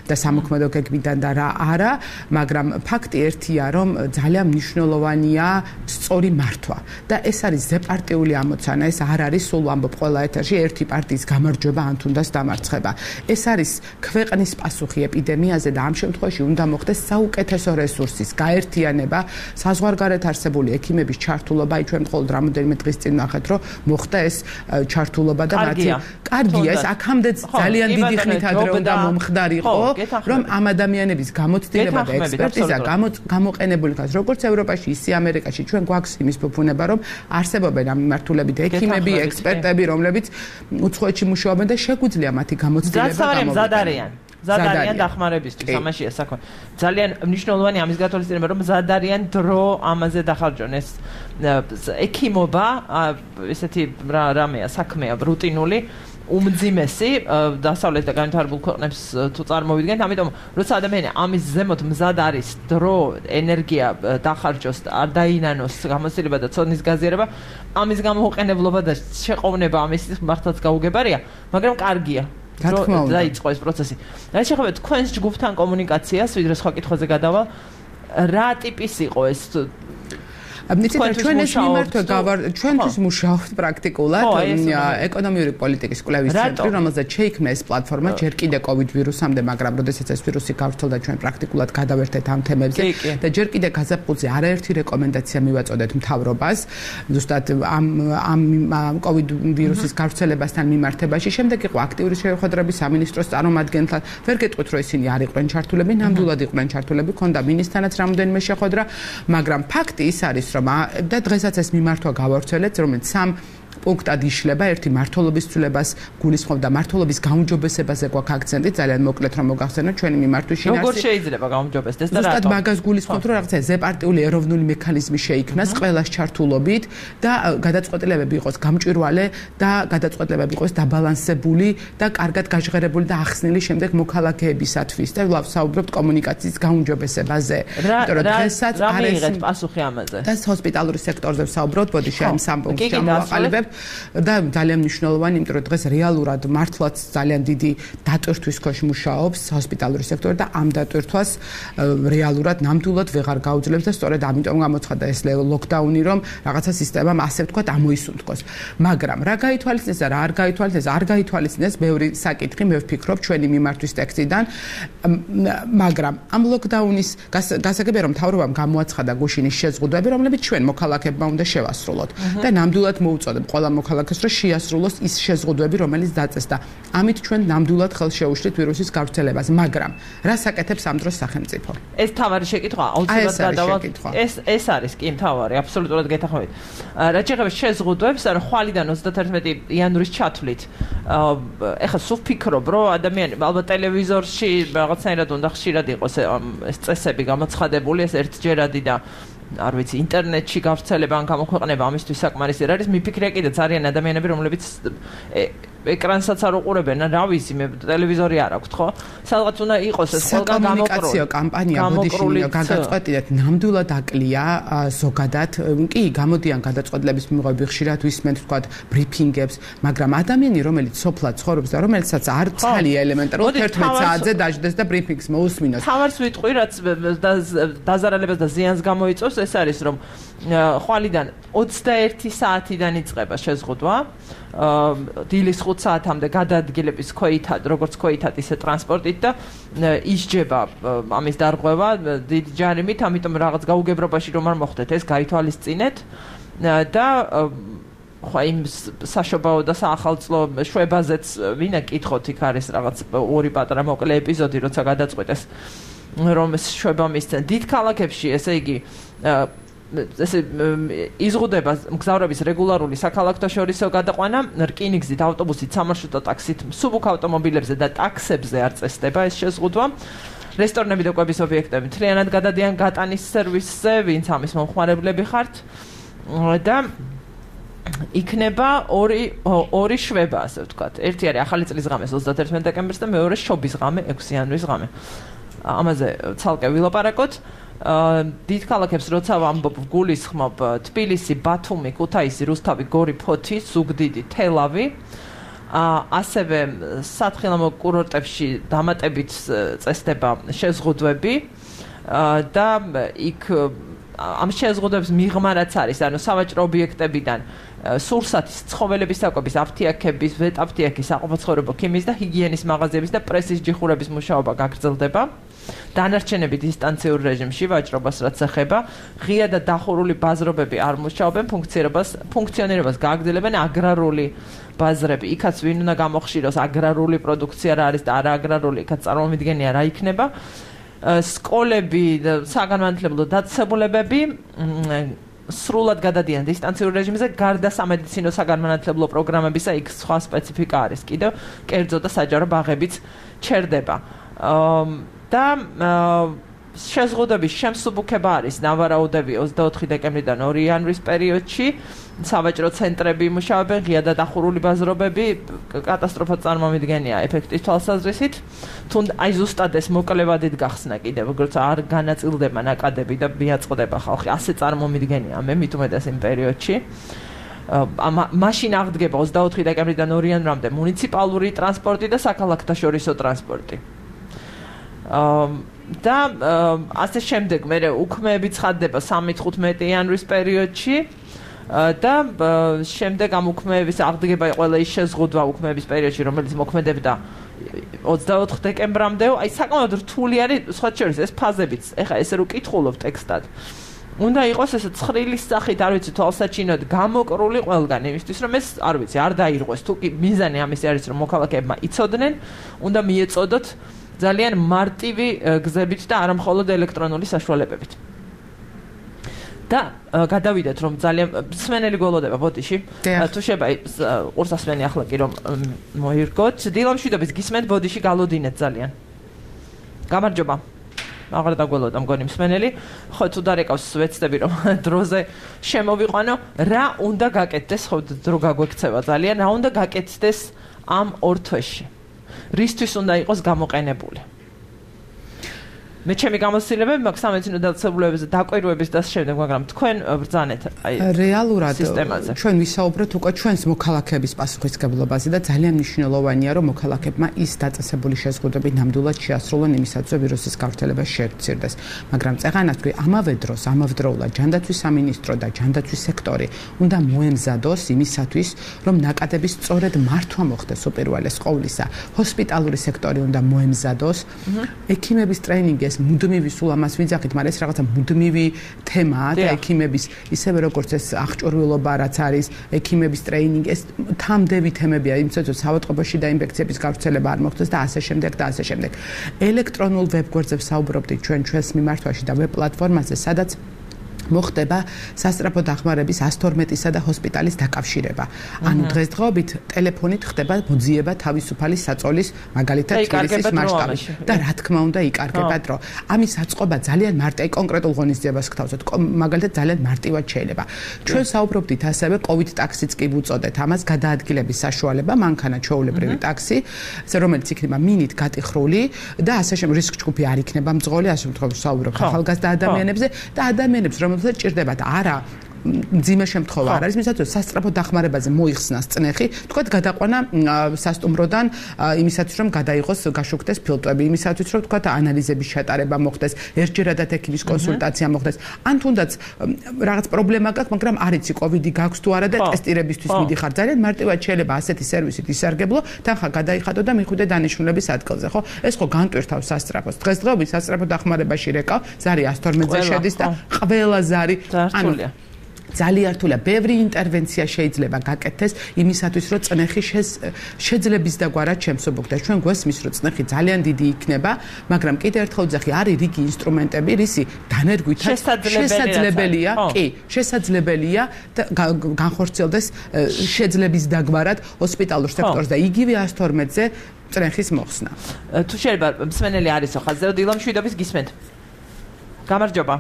და სამოქმედო გეგმიდან და რა არა, მაგრამ ფაქტი ერთია, რომ ძალიან მნიშვნელოვანია სწორი მართვა და ეს არის ზეპარტიული ამოცანა, ეს არ არის სულ ვამბობ ყველა ეთერში ერთი პარტიის გამარჯვება ან თუნდაც დამარცხება. ეს არის ქვეყნის პასუხი ეპიდემიაზე და ამ შემთხვევაში უნდა მოხდეს საუკეთესო რესურსის გაერთიანება, საზღვარგარეთ არსებული ექიმების ჩართულობა, აი ჩვენ მხოლოდ რამოდენიმე დღის წინ ნახეთ, რომ მოხდა ეს ჩართულობა და მათი კარგია, ეს აქამდე ძალიან დიდი ხნით ადრე უნდა მომხდარიყო, რომ ამ ადამიანების გამოცდილება და ექსპერტიზა გამოყენებული იქნას, როგორც ევროპაში, ისე ამერიკაში, ჩვენ გვაქვს იმის ფუფუნება, რომ არსებობენ ამ მიმართულებით ექიმები, ექსპერტები, რომლებიც უცხოეთში მუშაობენ და შეგვიძლია მათი გამოცდილება გამოვიყენოთ. ზადარიან დახმარებისთვის, ამაშია საქმე. ძალიან მნიშვნელოვანი ამის გათვალისწინება, რომ ზადარიან დრო ამაზე დახარჯონ. ეს ექიმობა, ესეთი რამეა, საქმეა რუტინული, უმძიმესი დასავლეთ და განვითარებულ ქვეყნებს თუ წარმოვიდგენთ, ამიტომ როცა ადამიანი ამის ზემოთ მზად არის, დრო, ენერგია დახარჯოს, არ დაინანოს გამოცდილება და ცოდნის გაზიარება, ამის გამოუყენებლობა და შეყოვნება ამის მართლაც გაუგებარია, მაგრამ კარგია. დაიწყო ეს პროცესი. რა შეეხება თქვენს ჯგუფთან კომუნიკაციას, ვიდრე სხვა კითხვაზე გადავალ, რა ტიპის იყო ეს? აბნიცით ჩვენ ეს მიმართვა გავარ ჩვენთვის მუშაობთ პრაქტიკულად ეკონომიური პოლიტიკის კვლევის ცენტრი, რომელზეც შეიქმნა ეს პლატფორმა ჯერ კიდე კოვიდ ვირუსამდე, მაგრამ როდესაც ეს ვირუსი გავრცელდა, ჩვენ პრაქტიკულად გადავერთეთ ამ თემებზე და ჯერ კიდე გაზაფხულზე არაერთი რეკომენდაცია მივაწოდეთ მთავრობას, ზუსტად ამ ამ კოვიდ ვირუსის გავრცელებასთან მიმართებაში. შემდეგ იყო აქტიური შეხვედრები სამინისტროს წარმომადგენელთან. ვერ გეტყვით, რომ ისინი არ იყვნენ ჩართულები, ნამდვილად იყვნენ ჩართულები, ქონდა მინისტრთანაც რამოდენიმე შეხვედრა, მაგრამ ფაქტი ის არის, და დღესაც ეს მიმართვა გავავრცელეთ, რომელიც სამ პუნქტად იშლება, ერთი მართლობის ცვლილებას გულისხმობდა, მართლობის გაუმჯობესებაზე გვაქვს აქცენტი, ძალიან მოკლედ რომ მოგახსენოთ ჩვენი მიმართვის შინაარსი. როგორ შეიძლება გაუმჯობესდეს და რატომ? ზუსტად მაგას გულისხმობთ, რომ რაღაცა ზეპარტიული ეროვნული მექანიზმი შეიქმნას ყველას ჩართულობით და გადაწყვეტილებები იყოს გამჭვირვალე და გადაწყვეტილებები იყოს დაბალანსებული და კარგად გაჟღერებული და ახსნილი შემდეგ მოქალაქეებისათვის და ვსაუბრობთ კომუნიკაციის გაუმჯობესებაზე. იმიტომ რომ დღესაც არ არის პასუხი ამაზე. და ჰოსპიტალური სექტორზე ვსაუბრობთ, ბოდიში ამ სამ პუნქტს ჩამოვაყალიბებთ და ძალიან მნიშვნელოვანი, იმიტომ რომ დღეს რეალურად მართლაც ძალიან დიდი დატვირთვის ქვეშ მუშაობს ჰოსპიტალური სექტორი და ამ დატვირთვას რეალურად ნამდვილად ვეღარ გაუძლებს და სწორედ ამიტომ გამოცხადდა ეს ლოკდაუნი, რომ რაღაცა სისტემამ ასე ვთქვათ ამოისუნთქოს. მაგრამ რა გაითვალისწინეს და რა არ გაითვალისწინეს, არ გაითვალისწინეს ბევრი საკითხი, მე ვფიქრობ ჩვენი მიმართვის ტექსტიდან, მაგრამ ამ ლოკდაუნის გასაგებია რომ მთავრობამ გამოაცხადა გუშინის შეზღუდვები, რომლებიც ჩვენ მოქალაქეებმა უნდა შევასრულოთ და ნამდვილად მოუწოდებ ყველა მოქალაქეს, რომ შეასრულოს ის შეზღუდვები, რომელიც დაწეს და ამით ჩვენ ნამდვილად ხელს შეუშლით ვირუსის გავრცელებას, მაგრამ რა საკეთებს ამ დროს სახელმწიფო? ეს თავარი შეკითხვა, აუცილებლად გადავალ. ეს ეს არის კი თავარი, აბსოლუტურად გეთანხმებით. რაც შეეხება შეზღუდვებს, რა ხვალიდან ოცდაათერთმეტი იანვრის ჩათვლით. ეხლა სულ ვფიქრობ, რომ ადამიანი ალბათ ტელევიზორში რაღაცნაირად უნდა ხშირად იყოს ეს წესები გამოცხადებული, ეს ერთჯერადი და არ ვიცი, ინტერნეტში გავრცელება ან გამოქვეყნება ამისთვის საკმარისი არ არის. მიფიქრია კიდე ძალიან ადამიანები, რომლებიც ეკრანსაც არ უყურებენ, რა ვიცი, მე ტელევიზორი არ აქვს, ხო? სადღაც უნდა იყოს ეს ყველგან გამოკრული. საკომუნიკაციო კამპანია ბოდიში გადაწყვეტილეთ ნამდვილად აკლია ზოგადად. კი, გამოდიან გადაწყვეტილების მიღები ხშირად ვისმენთ თქვათ ბრიფინგებს, მაგრამ ადამიანი, რომელიც სოფლად ცხოვრობს და რომელსაც არ ცალია ელემენტარულად თერთმეტ საათზე დაждდეს და ბრიფინგს მოусმინოს. თავარს ვიტყვი, რაც დაზარალებას და ზიანს გამოიწვევს, ეს არის რომ ხვალიდან ოცდაერთი საათიდან იწყება შეზღუდვა. დილის ხუთ საათამდე გადაადგილების ქვეითად, როგორც ქვეითად, ისე ტრანსპორტით და ისჯება ამის დარღვევა დიდი ჯარიმით, ამიტომ რაღაც გაუგებრობაში რომ არ მოხდეთ, ეს გაითვალისწინეთ და ხო იმ საშობაო და საახალწლო შვებაზეც ვინა კითხოთ, იქ არის რაღაც ორი პატარა მოკლე ეპიზოდი, როცა გადაწყვეტეს რომ შვება მისცენ დიდ ქალაქებში, ესე იგი ესე იზღუდება მგზავრების რეგულარული საქალაქთაშორისო გადაყვანა, რკინიგზით, ავტობუსით, სამარშრუტო ტაქსით, მსუბუქ ავტომობილებზე და ტაქსებზე არ წესდება ეს შეზღუდვა. რესტორნები და კვების ობიექტები მთლიანად გადადიან გატანის სერვისზე, ვინც ამის მომხმარებლები ხართ და იქნება ორი ორი შვება, ასე ვთქვათ. ერთი არის ახალი წლის ღამეს ოცდაათერთმეტი დეკემბერს და მეორე შობის ღამე ექვსი იანვრის ღამე. ამაზე ცალკე ვილაპარაკოთ. დიდ ქალაქებს როცა ვამბობ, გულისხმობ თბილისი, ბათუმი, ქუთაისი, რუსთავი, გორი, ფოთი, ზუგდიდი, თელავი. ასევე სათხილამო კურორტებში დამატებით წესდება შეზღუდვები და იქ ამ შეზღუდვებს მიღმა რაც არის, ანუ სავაჭრო ობიექტებიდან სურსათის, ცხოველების საკვების, აფთიაქების, ვეტაფთიაქის, საყოფაცხოვრებო ქიმიის და ჰიგიენის მაღაზიების და პრესის ჯიხურების მუშაობა გაგრძელდება. დანარჩენები დისტანციურ რეჟიმში ვაჭრობას რაც ეხება, ღია და დახურული ბაზრობები არ მუშაობენ, ფუნქციონირებას ფუნქციონირებას გააგრძელებენ აგრარული ბაზრები. იქაც ვინ უნდა გამოხშიროს, აგრარული პროდუქცია რა არის და არა აგრარული, იქაც წარმომიდგენია რა იქნება. სკოლები, საგანმანათლებლო დაწესებულებები სრულად გადადიან დისტანციურ რეჟიმზე, გარდა სამედიცინო საგანმანათლებლო პროგრამებისა, იქ სხვა სპეციფიკა არის კიდევ, კერძო და საჯარო ბაღებიც ჩერდება. და შეზღუდვების შემსუბუქება არის ნავარაუდები ოცდაოთხი დეკემბრიდან ორი იანვრის პერიოდში, სავაჭრო ცენტრები იმუშავებენ, ღია და დახურული ბაზრობები, კატასტროფა წარმომიდგენია ეფექტის თვალსაზრისით, თუნდაც აი ზუსტად ეს მოკლევადით გახსნა კიდევ, როგორც არ განაწილდება ნაკადები და მიაწყდება ხალხი, ასე წარმომიდგენია მე მით უმეტეს იმ პერიოდში. მაშინ აღდგება ოცდაოთხი დეკემბრიდან ორი იანვრამდე მუნიციპალური ტრანსპორტი და საქალაქთაშორისო ტრანსპორტი. და ასე შემდეგ მე უქმეები ცხადდება სამი თხუთმეტი იანვრის პერიოდში და შემდეგ ამ უქმეების აღდგება ყველა ის შეზღუდვა უქმეების პერიოდში, რომელიც მოქმედებდა ოცდაოთხ დეკემბრამდე, აი საკმაოდ რთული არის, სხვა შორის ეს ფაზებიც, ეხლა ესე რო კითხულობ ტექსტად. უნდა იყოს ესე ცხრილის სახით, არ ვიცი, თვალსაჩინოდ გამოკრული ყველგან, იმისთვის რომ ეს, არ ვიცი, არ დაირღვეს, თუ კი მიზანი ამისი არის, რომ მოქალაქეებმა იცოდნენ, უნდა მიეწოდოთ ძალიან მარტივი გზებით და არა მხოლოდ ელექტრონული საშუალებებით. და გადავიდეთ რომ ძალიან მსმენელი გველოდება ბოდიში თუ შეიძლება ყურსასმენი ახლა კი რომ მოირგოთ დილამშვიდობის გისმენთ ბოდიში გალოდინეთ ძალიან გამარჯობა აღარ დაგველოდა მგონი მსმენელი ხო თუ დარეკავს ვეცდები რომ დროზე შემოვიყვანო რა უნდა გაკეთდეს ხო დრო გაგვექცევა ძალიან რა უნდა გაკეთდეს ამ ორ თვეში რისთვის უნდა იყოს გამოყენებული მე ჩემი გამოცდილებები მაქვს სამეცნიერო დაწესებულებებზე დაკვირვების და შემდეგ მაგრამ თქვენ ბრძანეთ აი რეალურად ჩვენ ვისაუბრეთ უკვე ჩვენს მოქალაქეების პასუხისმგებლობაზე და ძალიან მნიშვნელოვანია რომ მოქალაქეებმა ის დაწესებული შეზღუდვები ნამდვილად შეასრულონ იმისათვის რომ ვირუსის გავრცელება შეეცირდეს მაგრამ წეღანას თქვი ამავე დროს ამავდროულად ჯანდაცვის სამინისტრო და ჯანდაცვის სექტორი უნდა მოემზადოს იმისათვის რომ ნაკადების სწორედ მართვა მოხდეს უპირველეს ყოვლისა ჰოსპიტალური სექტორი უნდა მოემზადოს ექიმების ტრეინინგი ეს მუდმივი სულ ამას ვიძახით, მაგრამ ეს რაღაცა მუდმივი თემაა და ექიმების ისევე როგორც ეს აღჭურვილობა რაც არის, ექიმების ტრეინინგი, ეს თამდევი თემებია, იმისათვის საავადმყოფოში და ინფექციების გავრცელება არ მოხდეს და ასე შემდეგ და ასე შემდეგ. ელექტრონულ ვებგვერდზე ვსაუბრობდით ჩვენ ჩვენს მიმართვაში და ვებ პლატფორმაზე, სადაც მოხდება სასწრაფო დახმარების ას თორმეტისა და ჰოსპიტალის დაკავშირება. ანუ დღესდღეობით ტელეფონით ხდება მოძიება თავისუფალი საწოლის მაგალითად თბილისის მასშტაბით და რა თქმა უნდა იკარგება დრო. ამის აწყობა ძალიან მარტივი კონკრეტულ ღონისძიებას გთავაზობთ. მაგალითად ძალიან მარტივად შეიძლება. ჩვენ საუბრობდით ასევე COVID ტაქსიც კი ვუწოდეთ. ამას გადაადგილების საშუალება, მანქანა ჩვეულებრივი ტაქსი, რომელიც იქნება მინით გატიხრული და ასე შემდეგ რისკ ჯგუფი არ იქნება მძღოლი, ასე შემთხვევაში საუბრობთ ახალგაზრდა ადამიანებზე და ადამიანებს რომ ჭირდებათ არა მძიმე შემთხვევა არ არის მისათვის სასწრაფო დახმარებაზე მოიხსნას წნეხი თქვათ გადაყვანა სასტუმროდან იმისათვის რომ გადაიღოს გაშუქდეს ფილტვები იმისათვის რომ თქვათ ანალიზების ჩატარება მოხდეს ერთჯერადად ექიმის კონსულტაცია მოხდეს ან თუნდაც რაღაც პრობლემა გაქვს მაგრამ არ იცი კოვიდი გაქვს თუ არა და ტესტირებისთვის მიდიხარ ძალიან მარტივად შეიძლება ასეთი სერვისით ისარგებლო თანხა გადაიხადო და მიხვიდე დანიშნულების ადგილზე ხო ეს ხო განტვირთავს სასწრაფოს დღესდღეობით სასწრაფო დახმარებაში რეკავ ზარი ას თორმეტზე შედის და ყველა ზარი ანუ ძალიან რთულია. ბევრი ინტერვენცია შეიძლება გაკეთდეს იმისათვის, რომ წნეხი შეძლების დაგვარად შემსუბუქდეს. ჩვენ გვესმის, რომ წნეხი ძალიან დიდი იქნება, მაგრამ კიდე ერთხელ ვძახი, არის რიგი ინსტრუმენტები, რისი დანერგვითაც შესაძლებელია, კი, შესაძლებელია განხორციელდეს შეძლების დაგვარად ჰოსპიტალურ სექტორზე და იგივე ას თორმეტზე წნეხის მოხსნა. თუ შეიძლება მსმენელი არის ხაზზე, დილამშვიდობის გისმენთ. გამარჯობა.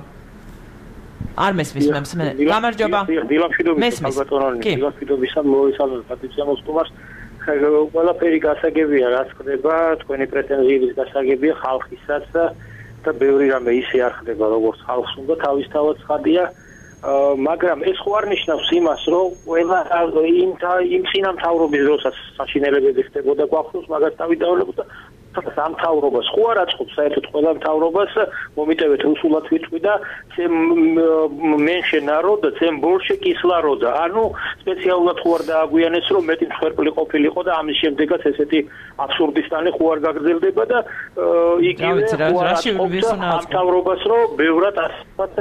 არ მესმის მე მსმენელი. გამარჯობა. დილამშვიდობის ალბათონანი. დილამშვიდობისა მოისალმებით პატრიცია მოსკოვას. ყველაფერი გასაგებია, რაც ხდება, თქვენი პრეტენზიების გასაგებია ხალხისაც და ბევრი რამე ისე არ ხდება, როგორც ხალხს უნდა თავისთავად ცხადია. მაგრამ ეს ხო არ ნიშნავს იმას, რომ ყველა იმ იმ სინამთავრობის დროსაც საშინელებები ხდებოდა გვახსოვს, მაგას დავიდავალებოდა სამთავრობას ხო არ აწყობს საერთოდ ყველა მთავრობას მომიტევეთ რუსულად ვიტყვი და მენშე ნაროდა ცემ ბოლშე კისლაროდა ანუ სპეციალურად ხო არ დააგვიანეს რომ მეტი მსხვერპლი ყოფილიყო და ამის შემდეგაც ესეთი აბსურდისტანი ხო არ გაგრძელდება და იგივე ხო არ აწყობს მთავრობას რომ ბევრად ასეთ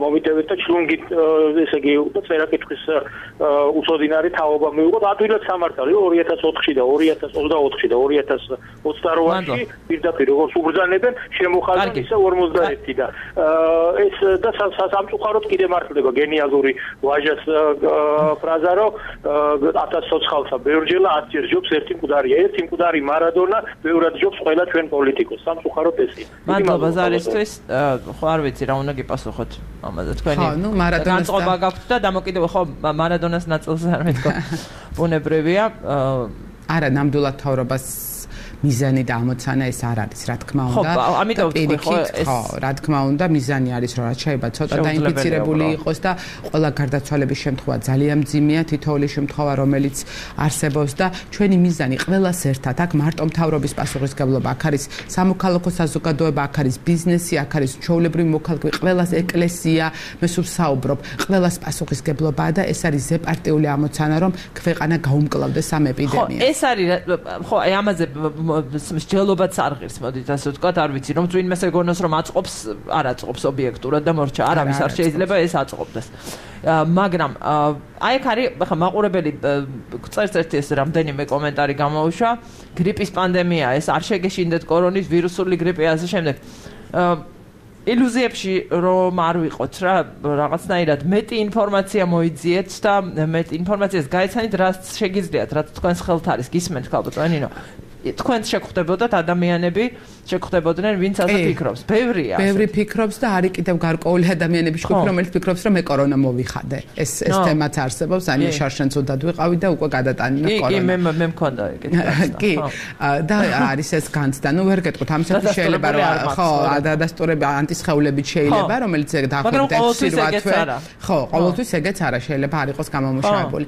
მომიტევეთ და ჩლუნგით ესე იგი წერაკითხვის უწოდინარი თაობა მიიღოთ ადვილად სამართალი ორი ათას ოთხში და ორი ათას ოცდაოთხში და ორი ათას ოცდაოთხში პირდაპირ როგორც უბრძანებენ შემოხალხენ ისე ორმოცდაერთი და ეს და სამწუხაროდ კიდე მართლდება გენიალური ვაჟას ფრაზა რომ ათას ცოცხალსა ბევრჯელა ათჯერ ჯობს ერთი მკვდარია ერთი მკვდარი მარადონა ბევრად ჯობს ყველა ჩვენ პოლიტიკოს სამწუხაროდ ესეა მადლობა ზარისთვის ხო არ ვიცი რა უნდა გიპასუხოთ ამაზე თქვენი განწყობა გაქვთ და დამოკიდებული ხო მარადონას ნაწილზე არ მეთქვა ბუნებრივია არა ნამდვილად თავრობას მიზანი და ამოცანა ეს არ არის, რა თქმა უნდა. ხო, ამიტომ თქვი ხო ეს ხო, რა თქმა უნდა, მიზანი არის, რომ რაც შეიძლება ცოტა დაინფიცირებული იყოს და ყველა გარდაცვალების შემთხვევა ძალიან მძიმეა, თითოეული შემთხვევა, რომელიც არსებობს და ჩვენი მიზანი ყველას ერთად, აქ მარტო მთავრობის პასუხისმგებლობა, აქ არის სამოქალაქო საზოგადოება, აქ არის ბიზნესი, აქ არის ჩვეულებრივი მოქალაქე, ყველას ეკლესია, მე სულ საუბრობ, ყველას პასუხისმგებლობაა და ეს არის ზეპარტიული ამოცანა, რომ ქვეყანა გაუმკლავდეს ამ ეპიდემიას. ხო, ეს არის ხო, აი ამაზე მსჯელობაც არ ღირს, მოდით ასე ვთქვათ, არ ვიცი, რომ წვინმეს ეგონოს რომ აწყობს, არ აწყობს ობიექტურად და მორჩა, არავის არ შეიძლება ეს აწყობდეს. მაგრამ აი აქ არის, ხა მაყურებელი წერს ერთი ეს რამდენიმე კომენტარი გამოუშვა, გრიპის პანდემია, ეს არ შეგეშინდეთ კორონის ვირუსული გრიპი ასე შემდეგ. ილუზიებში რომ არ ვიყოთ რა, რაღაცნაირად მეტი ინფორმაცია მოიძიეთ და მეტი ინფორმაციას გაეცანით, რაც შეგიძლიათ, რაც თქვენს ხელთ არის, გისმენთ ალბათ, ნინო. თქვენ შეგხვდებოდათ ადამიანები, შეგხვდებოდნენ, ვინც ასე ფიქრობს. ბევრია. ბევრი ფიქრობს და არის კიდევ გარკვეული ადამიანები შეგხვდები, რომელიც ფიქრობს, რომ მე კორონა მოვიხადე. ეს ეს თემაც არსებობს, ანია შარშენც უდად ვიყავი და უკვე გადატანინა კორონა. კი, კი, მე მე მქონდა ეგეთი. კი. და არის ეს განცდა. ნუ ვერ გეტყვით, ამისათვის შეიძლება რომ ხო, ადასტურები ანტისხეულებით შეიძლება, რომელიც დაახლოებით ექვსი რვა თვე. ხო, ყოველთვის ეგეც არა, შეიძლება არ იყოს გამომუშავებული.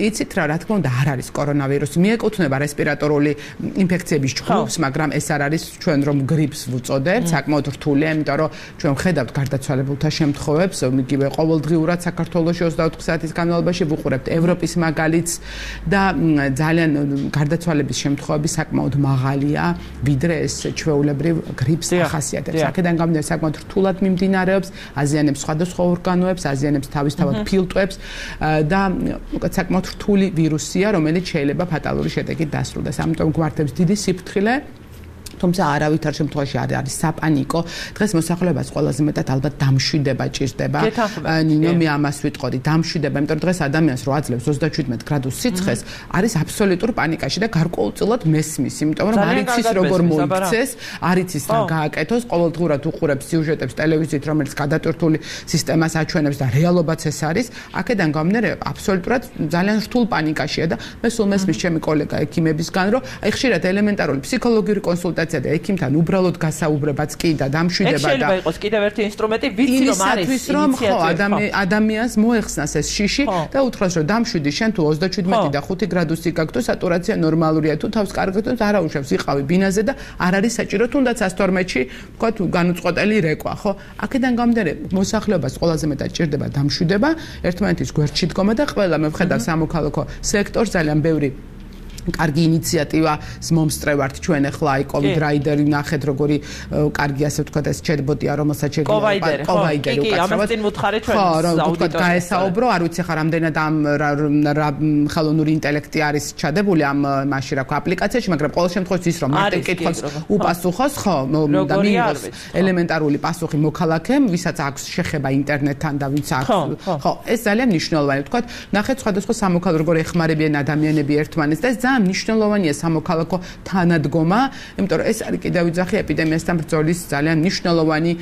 იცით რა, რა თქმა უნდა, არ არის კორონავირუსი. მიეკუთვნება რესპირატორული ინფექციების ჯგუფს, მაგრამ ეს არ არის ჩვენ რომ გრიპს ვუწოდებთ, საკმაოდ რთულია, იმიტომ რომ ჩვენ ხედავთ გარდაცვალებულთა შემთხვევებს, იგივე ყოველდღიურად საქართველოში ოცდაოთხ საათის განმავლობაში ვუყურებთ ევროპის მაგალითს და ძალიან გარდაცვალების შემთხვევები საკმაოდ მაღალია, ვიდრე ეს ჩვეულებრივ გრიპს ახასიათებს. აქედან გამომდინარე საკმაოდ რთულად მიმდინარეობს, აზიანებს სხვადასხვა ორგანოებს, აზიანებს თავისთავად ფილტვებს და უკეთ საკმაოდ რთული ვირუსია, რომელიც შეიძლება ფატალური შედეგით დასრულდეს. ამიტომ გვართებს დიდი სიფრთხილე. თუმცა არავითარ შემთხვევაში არ არის საპანიკო. დღეს მოსახლეობას ყველაზე მეტად ალბათ დამშვიდება ჭირდება. ნინო მე ამას ვიტყოდი, დამშვიდება, იმიტომ რომ დღეს ადამიანს რო აძლევს ოცდაშვიდმეტ გრადუს სიცხეს, არის აბსოლუტურ პანიკაში და გარკვეულწილად მესმის, იმიტომ რომ არ იცის როგორ მოიქცეს, არ იცის რა გააკეთოს, ყოველდღურად უყურებს სიუჟეტებს ტელევიზიით, რომელიც გადატვირთული სისტემას აჩვენებს და რეალობაც ეს არის. აქედან გამომდინარე, აბსოლუტურად ძალიან რთულ პანიკაშია და მე სულ მესმის ჩემი კოლეგა ექიმებისგან, რომ აი ხშირად ელემენტარული ფსიქოლოგიური კონსულტაცია და ექიმთან უბრალოდ გასაუბრებაც კი და დამშვიდება და შეიძლება იყოს კიდევ ერთი ინსტრუმენტი, ვიცი რომ არის ინიციატივა. ადამიანს მოეხსნას ეს შიში და უთხრას რომ დამშვიდი, შენ თუ ოცდაშვიდმეტი და ხუთი გრადუსი გაქვს, სატურაცია ნორმალურია, თუ თავს კარგად თავს არა უშავს, იყავი ბინაზე და არ არის საჭირო თუნდაც ას თორმეტში, თქვა თუ განუწყვეტელი რეკვა, ხო? აქედან გამომდინარე, მოსახლეობას ყველაზე მეტად ჭირდება დამშვიდება, ერთმანეთის გვერდში დგომა და ყველა მე ვხედავ სამოქალაქო სექტორს ძალიან ბევრი კარგი ინიციატივას მომსწრევართ ჩვენ ახლა აი COVID რაიდერი ნახეთ როგორი კარგი ასე ვთქვათ ეს ჩატბოტია რომელსაც შეგვიძლია კოვაიდერი უკაცრავად. კი, ამას წინ ვუთხარი ჩვენ აუდიტორიას. გაესაუბრო, არ ვიცი ხარ რამდენად ამ ხელოვნური ინტელექტი არის ჩადებული ამ მაშინ რა ქვია აპლიკაციაში, მაგრამ ყოველ შემთხვევაში ის რომ მარტივ კითხვას უპასუხოს, ხო, და მიიღოს ელემენტარული პასუხი მოქალაქემ, ვისაც აქვს შეხება ინტერნეტთან და ვინც აქვს. ხო, ეს ძალიან მნიშვნელოვანია. ვთქვათ, ნახეთ სხვადასხვა სამოქალაქო როგორ ეხმარებიან ადამიანები ერთმანეთს და ეს მნიშვნელოვანია სამოქალაქო თანადგომა, იმიტომ რომ ეს არის კიდევ ვიძახი ეპიდემიასთან ბრძოლის ძალიან მნიშვნელოვანი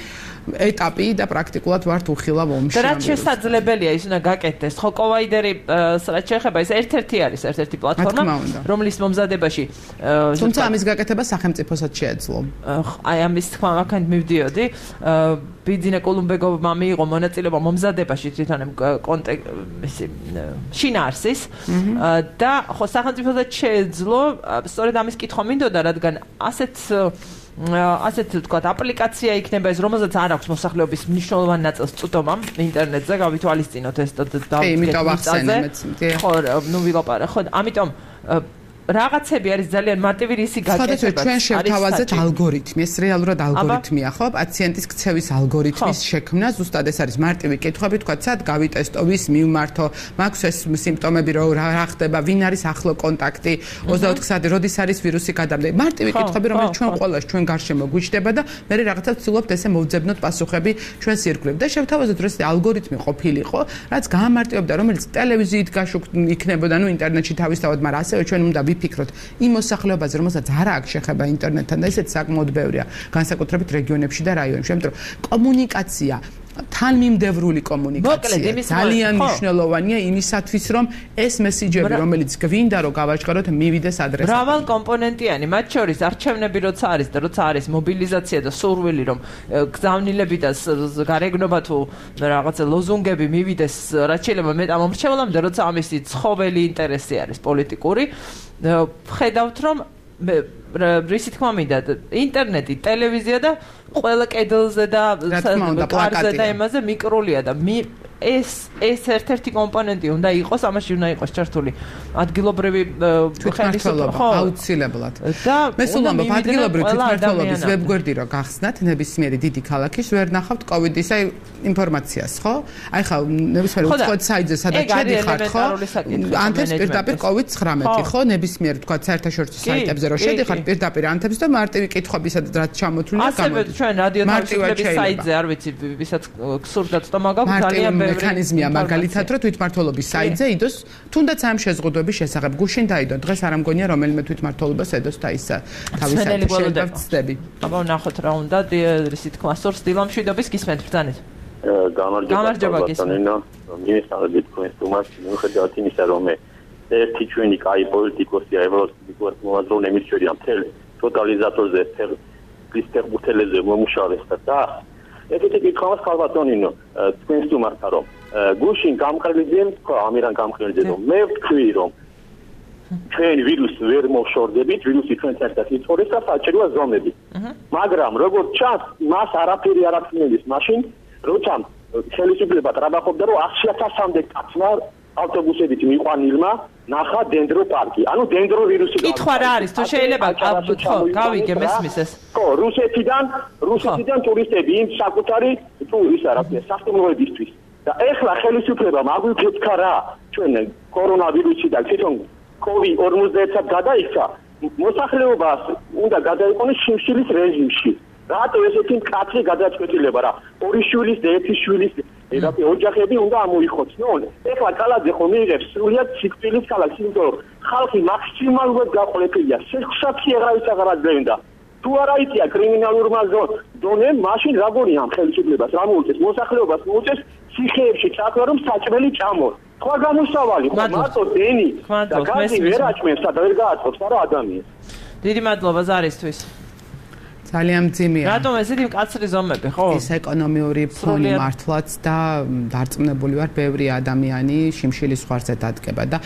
ეტაპი და პრაქტიკულად ვართ უხილავ ომში. და რაც შესაძლებელია ის უნდა გაკეთდეს. ხო, კოვაიდერი რაც შეეხება ეს ერთ-ერთი არის, ერთ-ერთი პლატფორმა, რომლის მომზადებაში თუმცა ამის გაკეთება სახელმწიფოსაც შეეძლო. აი ამის თქმა აქეთ მივდიოდი. ბიძინა კოლუმბეგოვმა მიიღო მონაწილეობა მომზადებაში თვითონ კონტექსტი შინაარსის და ხო სახელმწიფოსაც შეეძლო სწორედ ამის კითხვა მინდოდა, რადგან ასეთ ასეთ თქვათ აპლიკაცია იქნება ეს, რომელზეც არ აქვს მოსახლეობის მნიშვნელოვანი ნაწილს წვდომამ ინტერნეტზე, გავითვალისწინოთ ეს და დავახსენეთ. ხო, ნუ ვილაპარაკე. ხო, ამიტომ რაღაცები არის ძალიან მარტივი რისი გაკეთება. ჩვენ შევთავაზეთ ალგორითმი, ეს რეალურად ალგორითმია, ხო? პაციენტის ქცევის ალგორითმის შექმნა, ზუსტად ეს არის მარტივი კითხვები, თქვა, სად გავიტესტო, ვის მივმართო, მაქვს ეს სიმპტომები, რა ხდება, ვინ არის ახლო კონტაქტი, ოცდაოთხ საათი, როდის არის ვირუსი გადამდე. მარტივი კითხვები, რომელიც ჩვენ ყველას ჩვენ გარშემო გვიჩდება და მე რაღაცა ვცდილობთ ესე მოვძებნოთ პასუხები ჩვენს ირგვლივ და შევთავაზოთ, რომ ეს ალგორითმი ყოფილიყო, რაც გაამარტივებდა, რომელიც ტელევიზიით გაშუქ იქნებოდა, ნუ ინტერნეტში თავისთავად, მაგრამ ასევე ჩვენ უნდა ვიფიქროთ იმ მოსახლეობაზე, რომელსაც არ აქვს შეხება ინტერნეტთან და ესეც საკმაოდ ბევრია, განსაკუთრებით რეგიონებში და რაიონებში, იმიტომ რომ კომუნიკაცია თანმიმდევრული კომუნიკაცია ძალიან მნიშვნელოვანია იმისათვის, რომ ეს მესიჯები, რომელიც გვინდა რომ გავაჟღეროთ, მივიდეს ადრესატად. მრავალ კომპონენტიანი, მათ შორის არჩევნები როცა არის და როცა არის მობილიზაცია და სურვილი, რომ გზავნილები და გარეგნობა თუ რაღაცა ლოზუნგები მივიდეს, რაც შეიძლება მეტ ამომრჩევლამდე, როცა ამისი ცხოველი ინტერესი არის პოლიტიკური, ხედავთ რომ რისი თქმა მინდა ინტერნეტი, ტელევიზია და ყველა კედელზე და კარზე და იმაზე მიკროლია და ეს ეს ერთ-ერთი კომპონენტი უნდა იყოს, ამაში უნდა იყოს ჩართული ადგილობრივი ხელისუფლება, აუცილებლად. მე სულ ამბობ, ადგილობრივი თვითმმართველობის ვებგვერდი რო გახსნათ, ნებისმიერი დიდი ქალაქის ვერ ნახავთ კოვიდის აი ინფორმაციას, ხო? აი ხა ნებისმიერ უცხოეთ საიტზე სადაც შედიხართ, ხო? ანთებს პირდაპირ კოვიდ ცხრამეტი, ხო? ნებისმიერ თქვა საერთაშორისო საიტებზე რო შედიხართ პირდაპირ ანთებს და მარტივი კითხვებისაც რაც ჩამოთვლილი გამოდის. ასევე ჩვენ რადიო თავისუფლების საიტზე არ ვიცი, ვისაც გსურდათ სტომა გაქვს ძალიან ბევრი მექანიზმია მაგალითად რომ თვითმმართველობის საიტზე იდოს თუნდაც ამ შეზღუდვების შესახებ გუშინ დაიდო დღეს არ ამგონია რომელიმე თვითმმართველობას ედოს და ის თავის შეიძლება ვწდები. აბა ნახოთ რა უნდა ისე თქვა სორს დილამშვიდობის გისმენთ ბრძანეთ. გამარჯობა ბატონო მინისტრები თქვენ თუმას მიუხედავად იმისა რომ ერთი ჩვენი კაი პოლიტიკოსია ევროპის მოაზროვნე მიჩვენია მთელ ტოტალიზატორზე მთელ კრისტერბუთელეზე მომუშავეს და ეგეთი კითხავს ხალბატონინო თქვენ თუმასთან რომ გუშინ გამყრელიძემ თქვა ამირან გამყრელიძემ რომ მე ვთქვი რომ ჩვენ ვირუსს ვერ მოშორდებით ვირუსი ჩვენ ერთად იწორეს და საჭიროა ზომები მაგრამ როგორც ჩანს მას არაფერი არ აქვს ნელის მაშინ როცა ხელისუფლება ტრაბახობდა რომ ათი ათასამდე კაცმა ავტობუსებით მიყვანილმა ნახა დენდრო პარკი ანუ დენდრო ვირუსი კითხვა რა არის თუ შეიძლება ხო გავიგე მესმის ეს ხო რუსეთიდან რუსეთიდან ტურისტები იმ საკუთარი თუ ის არა სასტუმროებისთვის და ეხლა ხელისუფლება მაგვიფეთქა რა ჩვენ კორონავირუსი და თვითონ კოვიდ ორმოცდაერთად გადაიქცა მოსახლეობას უნდა გადაიყვანოს შიმშილის რეჟიმში რატო ესეთი მკაცრი გადაწყვეტილება რა ორი შვილის და ერთი შვილის ერაფი ოჯახები უნდა ამოიხოცნონ ეხლა კალაძე ხომ მიიღებს სრულიად სიკვდილის ქალაქს იმიტომ რომ ხალხი მაქსიმალურად გაყოლებულია სექსაცი აღარის აღარაძენდა თუ არა იწია კრიმინალურმა ზონემ მაშინ როგორია ამ ხელისუფლებას რა მოუწეს მოსახლეობას მოუწეს ციხეებში წახლა რომ საჭმელი ჭამოს სხვა გამოსავალი ხო მარტო დენი და გაზი ვერ აჭმევს და ვერ გააწყობს არა ადამიანს დიდი მადლობა ზარისთვის ძალიან მძიმეა. რატომ ესეთი მკაცრი ზომები, ხო? ეს ეკონომიური ფონი მართლაც და დარწმუნებული ვარ, ბევრი ადამიანი შიმშილის ზღვარზე დადგება და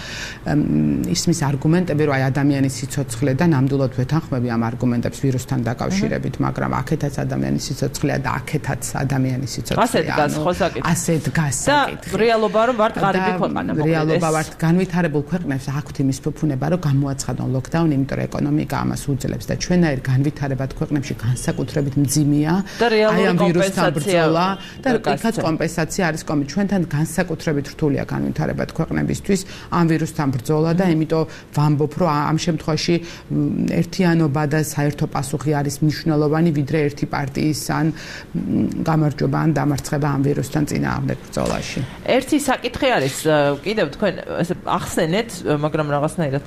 ისმის არგუმენტები, რომ აი ადამიანის სიცოცხლე და ნამდვილად ვეთანხმები ამ არგუმენტებს ვირუსთან დაკავშირებით, მაგრამ აქეთაც ადამიანის სიცოცხლეა და აქეთაც ადამიანის სიცოცხლეა. ასე დგას ხო საკითხი. ასე დგას საკითხი. და რეალობა რომ ვართ ღარიბი ქვეყანა, მოკლედ. რეალობა ვართ განვითარებულ ქვეყნებს აქვთ იმის ფუფუნება, რომ გამოაცხადონ ლოკდაუნი, იმიტომ რომ ეკონომიკა ამას უძლებს და ჩვენაირ განვითარებად ქვეყნებში განსაკუთრებით მძიმეა აი ამ ვირუსთან ბრძოლა და იქაც კომპენსაცია არის კომი ჩვენთან განსაკუთრებით რთულია განვითარებად ქვეყნებისთვის ამ ვირუსთან ბრძოლა და იმიტომ ვამბობ რომ ამ შემთხვევაში ერთიანობა და საერთო პასუხი არის მნიშვნელოვანი ვიდრე ერთი პარტიის ან გამარჯვება ან დამარცხება ამ ვირუსთან წინააღმდეგ ბრძოლაში ერთი საკითხი არის კიდევ თქვენ ესე ახსენეთ მაგრამ რაღაცნაირად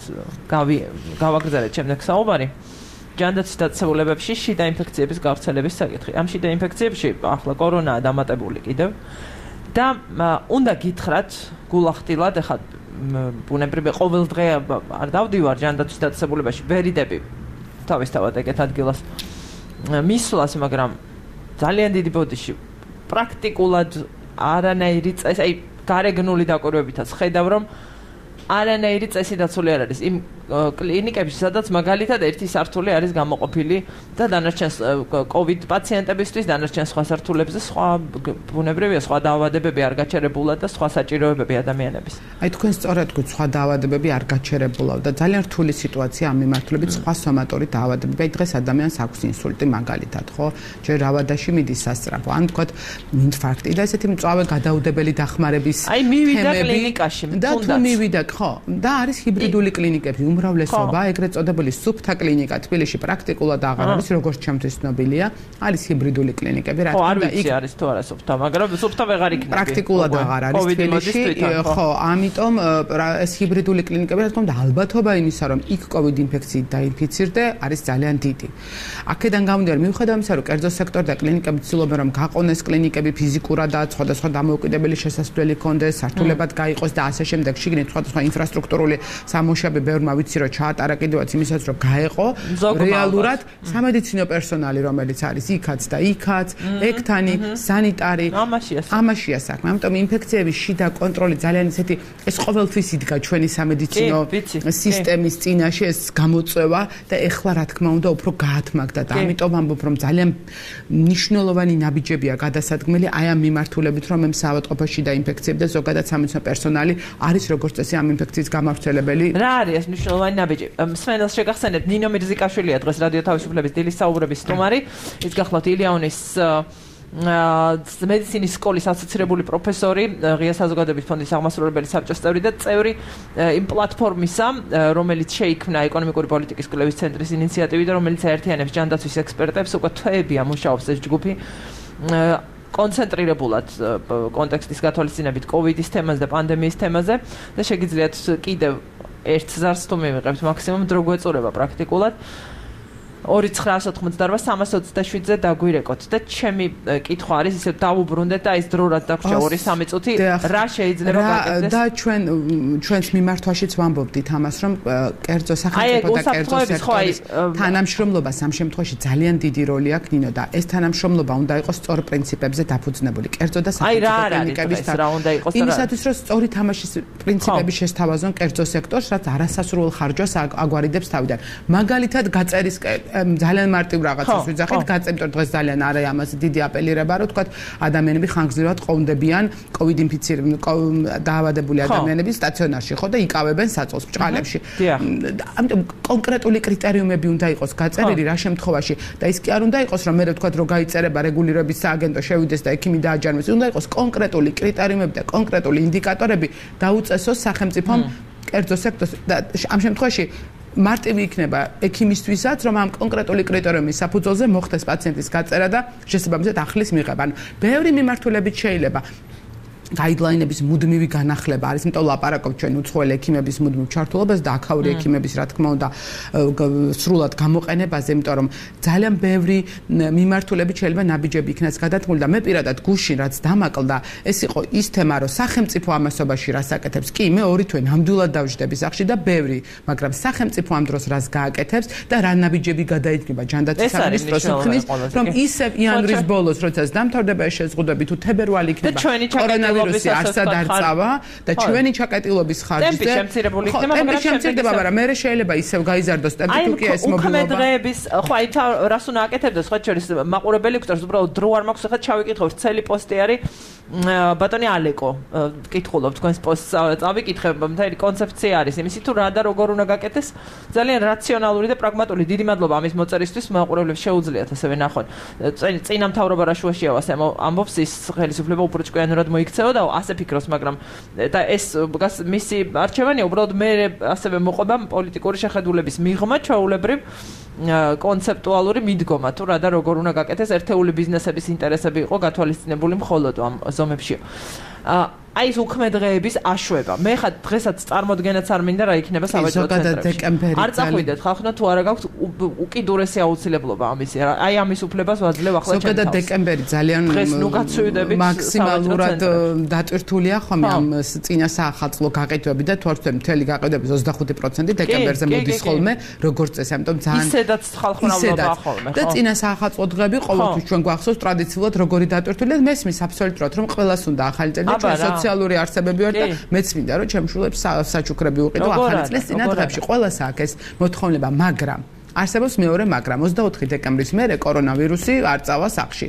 გავი გავაგრძელეთ შემდეგ საუბარი ჯანდაცვის დაწესებულებებში შიდა ინფექციების გავრცელების საკითხი. ამ შიდა ინფექციებში ახლა კორონაა დამატებული კიდევ და უნდა გითხრათ გულახდილად ახლა ბუნებრივია ყოველ დღე არ დავდივარ ჯანდაცვის დაწესებულებაში ვერიდები თავისთავად ეგეთ ადგილას მისვლას მაგრამ ძალიან დიდი ბოდიში პრაქტიკულად არანაირი წესი აი გარეგნული დაკვირვებითაც ხედავ რომ არანაირი წესი დაცული არ არის იმ კლინიკებში სადაც მაგალითად ერთი სართული არის გამოყოფილი და დანარჩენ კოვიდ პაციენტებისთვის დანარჩენ სხვა სართულებზე სხვა ბუნებრივია სხვა დაავადებები არ გაჩერებულად და სხვა საჭიროებები ადამიანების აი თქვენ სწორად გქონთ სხვა დაავადებები არ გაჩერებულად და ძალიან რთული სიტუაცია ამ მიმართულებით სხვა სომატური დაავადებები აი დღეს ადამიანს აქვს ინსულტი მაგალითად ხო ჯერ ავადაში მიდის სასწრაფო ან თქვათ ინფარქტი და ესეთი მწვავე გადაუდებელი დახმარების აი მივიდა კლინიკაში და თუ მივიდა ხო და არის ჰიბრიდული კლინიკები უმრავლესობა ეგრეთ წოდებული სუფთა კლინიკა თბილისში პრაქტიკულად აღარ არის როგორც ჩემთვის ცნობილია არის ჰიბრიდული კლინიკები რა თქმა უნდა იქ არის თუ არა სუფთა მაგრამ სუფთა ვეღარ იქნება პრაქტიკულად აღარ არის თბილისში ხო ამიტომ ეს ჰიბრიდული კლინიკები რა თქმა უნდა ალბათობა იმისა რომ იქ კოვიდ ინფექციით დაინფიცირდე არის ძალიან დიდი აქედან გამომდინარე მიუხედავად იმისა რომ კერძო სექტორი და კლინიკები ცდილობენ რომ გაყონეს კლინიკები ფიზიკურად და სხვადასხვა დამოუკიდებელი შესასვლელი ჰქონდეს სართულებად გაიყოს და ასე შემდეგ შიგნით სხვადასხვა ინფრასტრუქტურული სამუშაოები ბევრმა ვიცი რომ ჩაატარა კიდევაც იმისაც რომ გაეყო რეალურად სამედიცინო პერსონალი რომელიც არის იქაც და იქაც ექთანი სანიტარი ამაშია საქმე ამიტომ ინფექციების შიდა კონტროლი ძალიან ისეთი ეს ყოველთვის იდგა ჩვენი სამედიცინო სისტემის წინაშე ეს გამოწვევა და ეხლა რა თქმა უნდა უფრო გაათმაგდა და ამიტომ ამბობ რომ ძალიან მნიშვნელოვანი ნაბიჯებია გადასადგმელი აი ამ მიმართულებით რომ მე საავადმყოფოში და ინფექციები და ზოგადად სამედიცინო პერსონალი არის როგორც წესი ამ ინფექციის გამავრცელებელი რა არის ეს მნიშვნელოვანი ნაბიჯი მსმენელს შეგახსენებთ ნინო მირზიკაშვილია დღეს რადიო თავისუფლების დილის საუბრების სტუმარი ის გახლავთ ილიანის მედიცინის სკოლის ასოცირებული პროფესორი ღია საზოგადოების ფონდის აღმასრულებელი საბჭოს წევრი და წევრი იმ პლატფორმისა რომელიც შეიქმნა ეკონომიკური პოლიტიკის კვლევის ცენტრის ინიციატივით და რომელიც აერთიანებს ჯანდაცვის ექსპერტებს უკვე თვეებია მუშაობს ეს ჯგუფი კონცენტრირებულად კონტექსტის გათვალისწინებით კოვიდის თემაზე და პანდემიის თემაზე და შეგიძლიათ კიდევ ერთ ზარს თუ მივიღებთ მაქსიმუმ დრო გვეწურება პრაქტიკულად ორი ცხრაასი ოცდაოთხ სამას ოცდაშვიდზე დაგვირეკოთ და ჩემი კითხვა არის ისე დავუბრუნდეთ და ის დრო რაც დაგვრჩა ორი სამი წუთი რა შეიძლება გაკეთდეს და ჩვენ ჩვენს მიმართვაშიც ვამბობდით ამას რომ კერძო სახელმწიფო და კერძო სექტორის თანამშრომლობა სამ შემთხვევაში ძალიან დიდი როლი აქვს ნინო და ეს თანამშრომლობა უნდა იყოს სწორ პრინციპებზე დაფუძნებული კერძო და სახელმწიფო კლინიკების იმისათვის რომ სწორი თამაშის პრინციპები შესთავაზონ კერძო სექტორს რაც არასასურველ ხარჯვას აგვარიდებს თავიდან მაგალითად გაწერის ძალიან მარტივ რაღაცას ვიძახით გაწემტო დღეს ძალიან არის ამას დიდი აპელირება რომ თქვა ადამიანები ხანგრძლივად ყოფნდებიან კოვიდ ინფიცირებული დაავადებული ადამიანები სტაციონარში ხო და იკავებენ საწოლს ბჭყალებში ამიტომ კონკრეტული კრიტერიუმები უნდა იყოს გაწერილი რა შემთხვევაში და ის კი არ უნდა იყოს რომ მე ვთქვა რომ გაიწერება რეგულირების სააგენტო შევიდეს და ექიმი დააჯარმოს უნდა იყოს კონკრეტული კრიტერიუმები და კონკრეტული ინდიკატორები დაუწესოს სახელმწიფომ კერძო სექტორს და ამ შემთხვევაში მარტივი იქნება ექიმისთვისაც რომ ამ კონკრეტული კრიტერიუმის საფუძველზე მოხდეს პაციენტის გაწერა და შესაბამისად ახლის მიღება. ანუ ბევრი მიმართულებით შეიძლება გაიდლაინების მუდმივი განახლება არის, იმიტომ ლაპარაკობ ჩვენ უცხოელი ექიმების მუდმივ ჩართულობას და აქაური ექიმების რა თქმა უნდა სრულად გამოყენებაზე, იმიტომ რომ ძალიან ბევრი მიმართულებით შეიძლება ნაბიჯები იქნას გადათმული და მე პირადად გუშინ რაც დამაკლდა, ეს იყო ის თემა, რომ სახელმწიფო ამასობაში რას აკეთებს. კი, მე ორი თვე ნამდვილად დავждები სახში და ბევრი, მაგრამ სახელმწიფო ამ დროს რას გააკეთებს და რა ნაბიჯები გადაიდგება ჯანდაცვის სამინისტროს ხნის, რომ ისევ იანვრის ბოლოს, როდესაც დამთავრდება ეს შეზღუდვები თუ თებერვალი იქნება კორონავირუსი არსად არ წავა და ჩვენი ჩაკეტილობის ხარჯზე ტემპი შემცირებული იქნება, მაგრამ შემცირდება, მაგრამ მე შეიძლება ისევ გაიზარდოს ტემპი თუ კი ეს მობილობა. აი, დღეების, ხო, აი რას უნდა აკეთებდეს, ხო, შორის მაყურებელი გვწევს, უბრალოდ დრო არ მაქვს, ხა ჩავიკითხავ, ცელი პოსტი არის ბატონი ალეკო, კითხულობ თქვენს პოსტს, წავიკითხებ, მთელი კონცეფცია არის იმისი თუ რა და როგორ უნდა გაკეთდეს, ძალიან რაციონალური და პრაგმატული. დიდი მადლობა ამის მოწერისთვის, მაყურებლებს შეუძლიათ ასევე ნახონ. წინა მთავრობა რა შუაშია ასე ამბობს ის ხელისუფლება უფრო ჭკვიანურად მოიქცევა და ასე ფიქრობს, მაგრამ და ეს მისი არჩევანია, უბრალოდ მე ასევე მოყვება პოლიტიკური შეხედულების მიღმა ჩვეულებრივ კონცეპტუალური მიდგომა თუ რა და როგორ უნდა გაკეთდეს ერთეული ბიზნესების ინტერესები იყო გათვალისწინებული მხოლოდ ამ ზომებში. აი ეს უქმე დღეების აშვება. მე ხა დღესაც წარმოდგენაც არ მინდა რა იქნება სავაჭრო ცენტრებში. არ წახვიდეთ ხალხო თუ არა გაქვთ უკიდურესი აუცილებლობა ამისი. აი ამის უფლებას ვაძლევ ახლა ჩემს. ზოგადად დეკემბერი ძალიან მაქსიმალურად დატვირთულია ხომ ამ წინა საახალწლო გაყიდვები და თორსე მთელი გაყიდვების ოცდახუთი პროცენტი დეკემბერზე მოდის ხოლმე როგორც წესი, ამიტომ ძალიან ისედაც ხალხმრავლობა ხოლმე. და წინა საახალწლო დღეები ყოველთვის ჩვენ გვახსოვს ტრადიციულად როგორი დატვირთულია. მესმის აბსოლუტურად რომ ყველას უნდა ახალი წელი და ჩვენ სოციალური არსებები ვარ და მეც მინდა რომ ჩემშულებს საჩუქრები უყიდო ახალი წლის წინა დღეებში ყველას აქვს ეს მოთხოვნება, მაგრამ არსებობს მეორე მაგრამ ოცდაოთხი დეკემბრის მერე კორონავირუსი არ წავა სახში.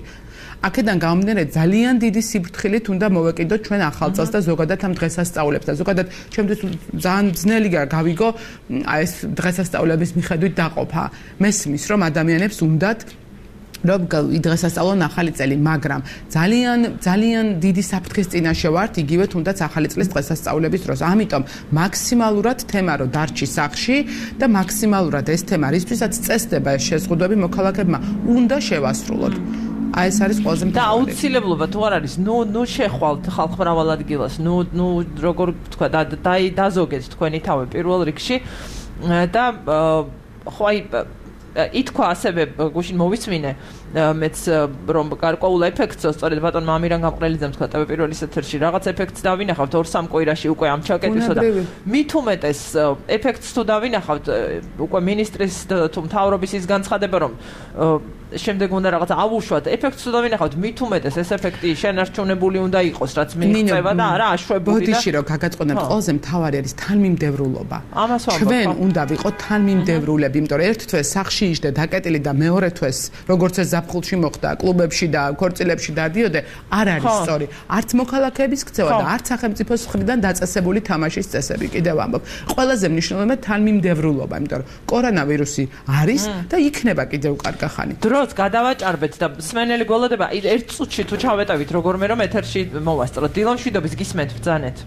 აქედან გამომდინარე ძალიან დიდი სიფრთხილით უნდა მოვეკიდოთ ჩვენ ახალ წელს და ზოგადად ამ დღესასწაულებს და ზოგადად ჩემთვის ძალიან ძნელი გავიგო ეს დღესასწაულების მიხედვით დაყოფა. მესმის რომ ადამიანებს უნდათ რომ დღესასწაულონ ახალი წელი, მაგრამ ძალიან ძალიან დიდი საფრთხის წინაშე ვართ, იგივე თუნდაც ახალი წლის დღესასწაულების დროს. ამიტომ მაქსიმალურად თემა რო დარჩი სახში და მაქსიმალურად ეს თემა რისთვისაც წესდება ეს შეზღუდვები მოქალაქეებმა უნდა შევასრულოთ. აი ეს არის ყველაზე და აუცილებლობა თუ არ არის, ნუ ნუ შეხვალთ ხალხმრავალ ადგილას, ნუ ნუ როგორ თქვა და დაზოგეთ თქვენი თავი პირველ რიგში და ხო აი ითქვა ასევე გუშინ მოვისმინე მეც რომ გარკვეულ ეფექტს სწორედ ბატონ მამირან გამყრელიძემ თქვა ტევ პირველის ეთერში რაღაც ეფექტს დავინახავთ ორ სამ კვირაში უკვე ამ ჩაკეტვისა და მით უმეტეს ეფექტს თუ დავინახავთ უკვე მინისტრის თუ მთავრობის ის განცხადება რომ შემდეგ უნდა რაღაც ავუშვათ ეფექტს თუ დავინახავთ მით უმეტეს ეს ეფექტი შენარჩუნებული უნდა იყოს რაც მიიღწევა და არა აშვებული და ბოდიში რომ გაგაწყონებთ ყველაზე მთავარი არის თანმიმდევრულობა ჩვენ უნდა ვიყოთ თანმიმდევრულები იმიტომ რომ ერთ თვეს სახში იჯდე დაკეტილი და მეორე თვეს როგორც ეს ზაფხულში მოხდა კლუბებში და ქორწილებში დადიოდე არ არის სწორი არც მოქალაქეების ქცევა და არც სახელმწიფოს მხრიდან დაწესებული თამაშის წესები კიდევ ამბობ ყველაზე მნიშვნელოვანია თანმიმდევრულობა იმიტომ რომ კორონავირუსი არის და იქნება კიდევ კარგახანი დროს გადავაჭარბეთ და სმენელი გველოდება ერთ წუთში თუ ჩავეტევით როგორმე რომ ეთერში მოვასწროთ დილომშვიდობის გისმენთ ბრძანეთ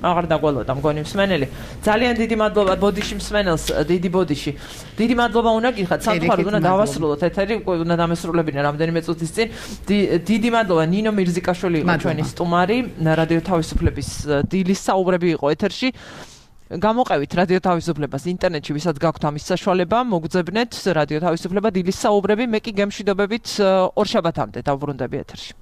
აღარ დაგველოდა მგონი მსმენელი ძალიან დიდი მადლობა ბოდიში მსმენელს დიდი ბოდიში დიდი მადლობა უნდა გიხათ სამწუხაროდ უნდა დავასრულოთ ეთერი უკვე უნდა დამესრულებინა რამდენიმე წუთის წინ დიდი მადლობა ნინო მირზიკაშვილი იყო ჩვენი სტუმარი რადიო თავისუფლების დილის საუბრები იყო ეთერში გამოყევით რადიო თავისუფლებას ინტერნეტში ვისაც გაქვთ ამის საშუალება მოგძებნეთ რადიო თავისუფლება დილის საუბრები მე კი გემშვიდობებით ორ შაბათამდე დავბრუნდები ეთერში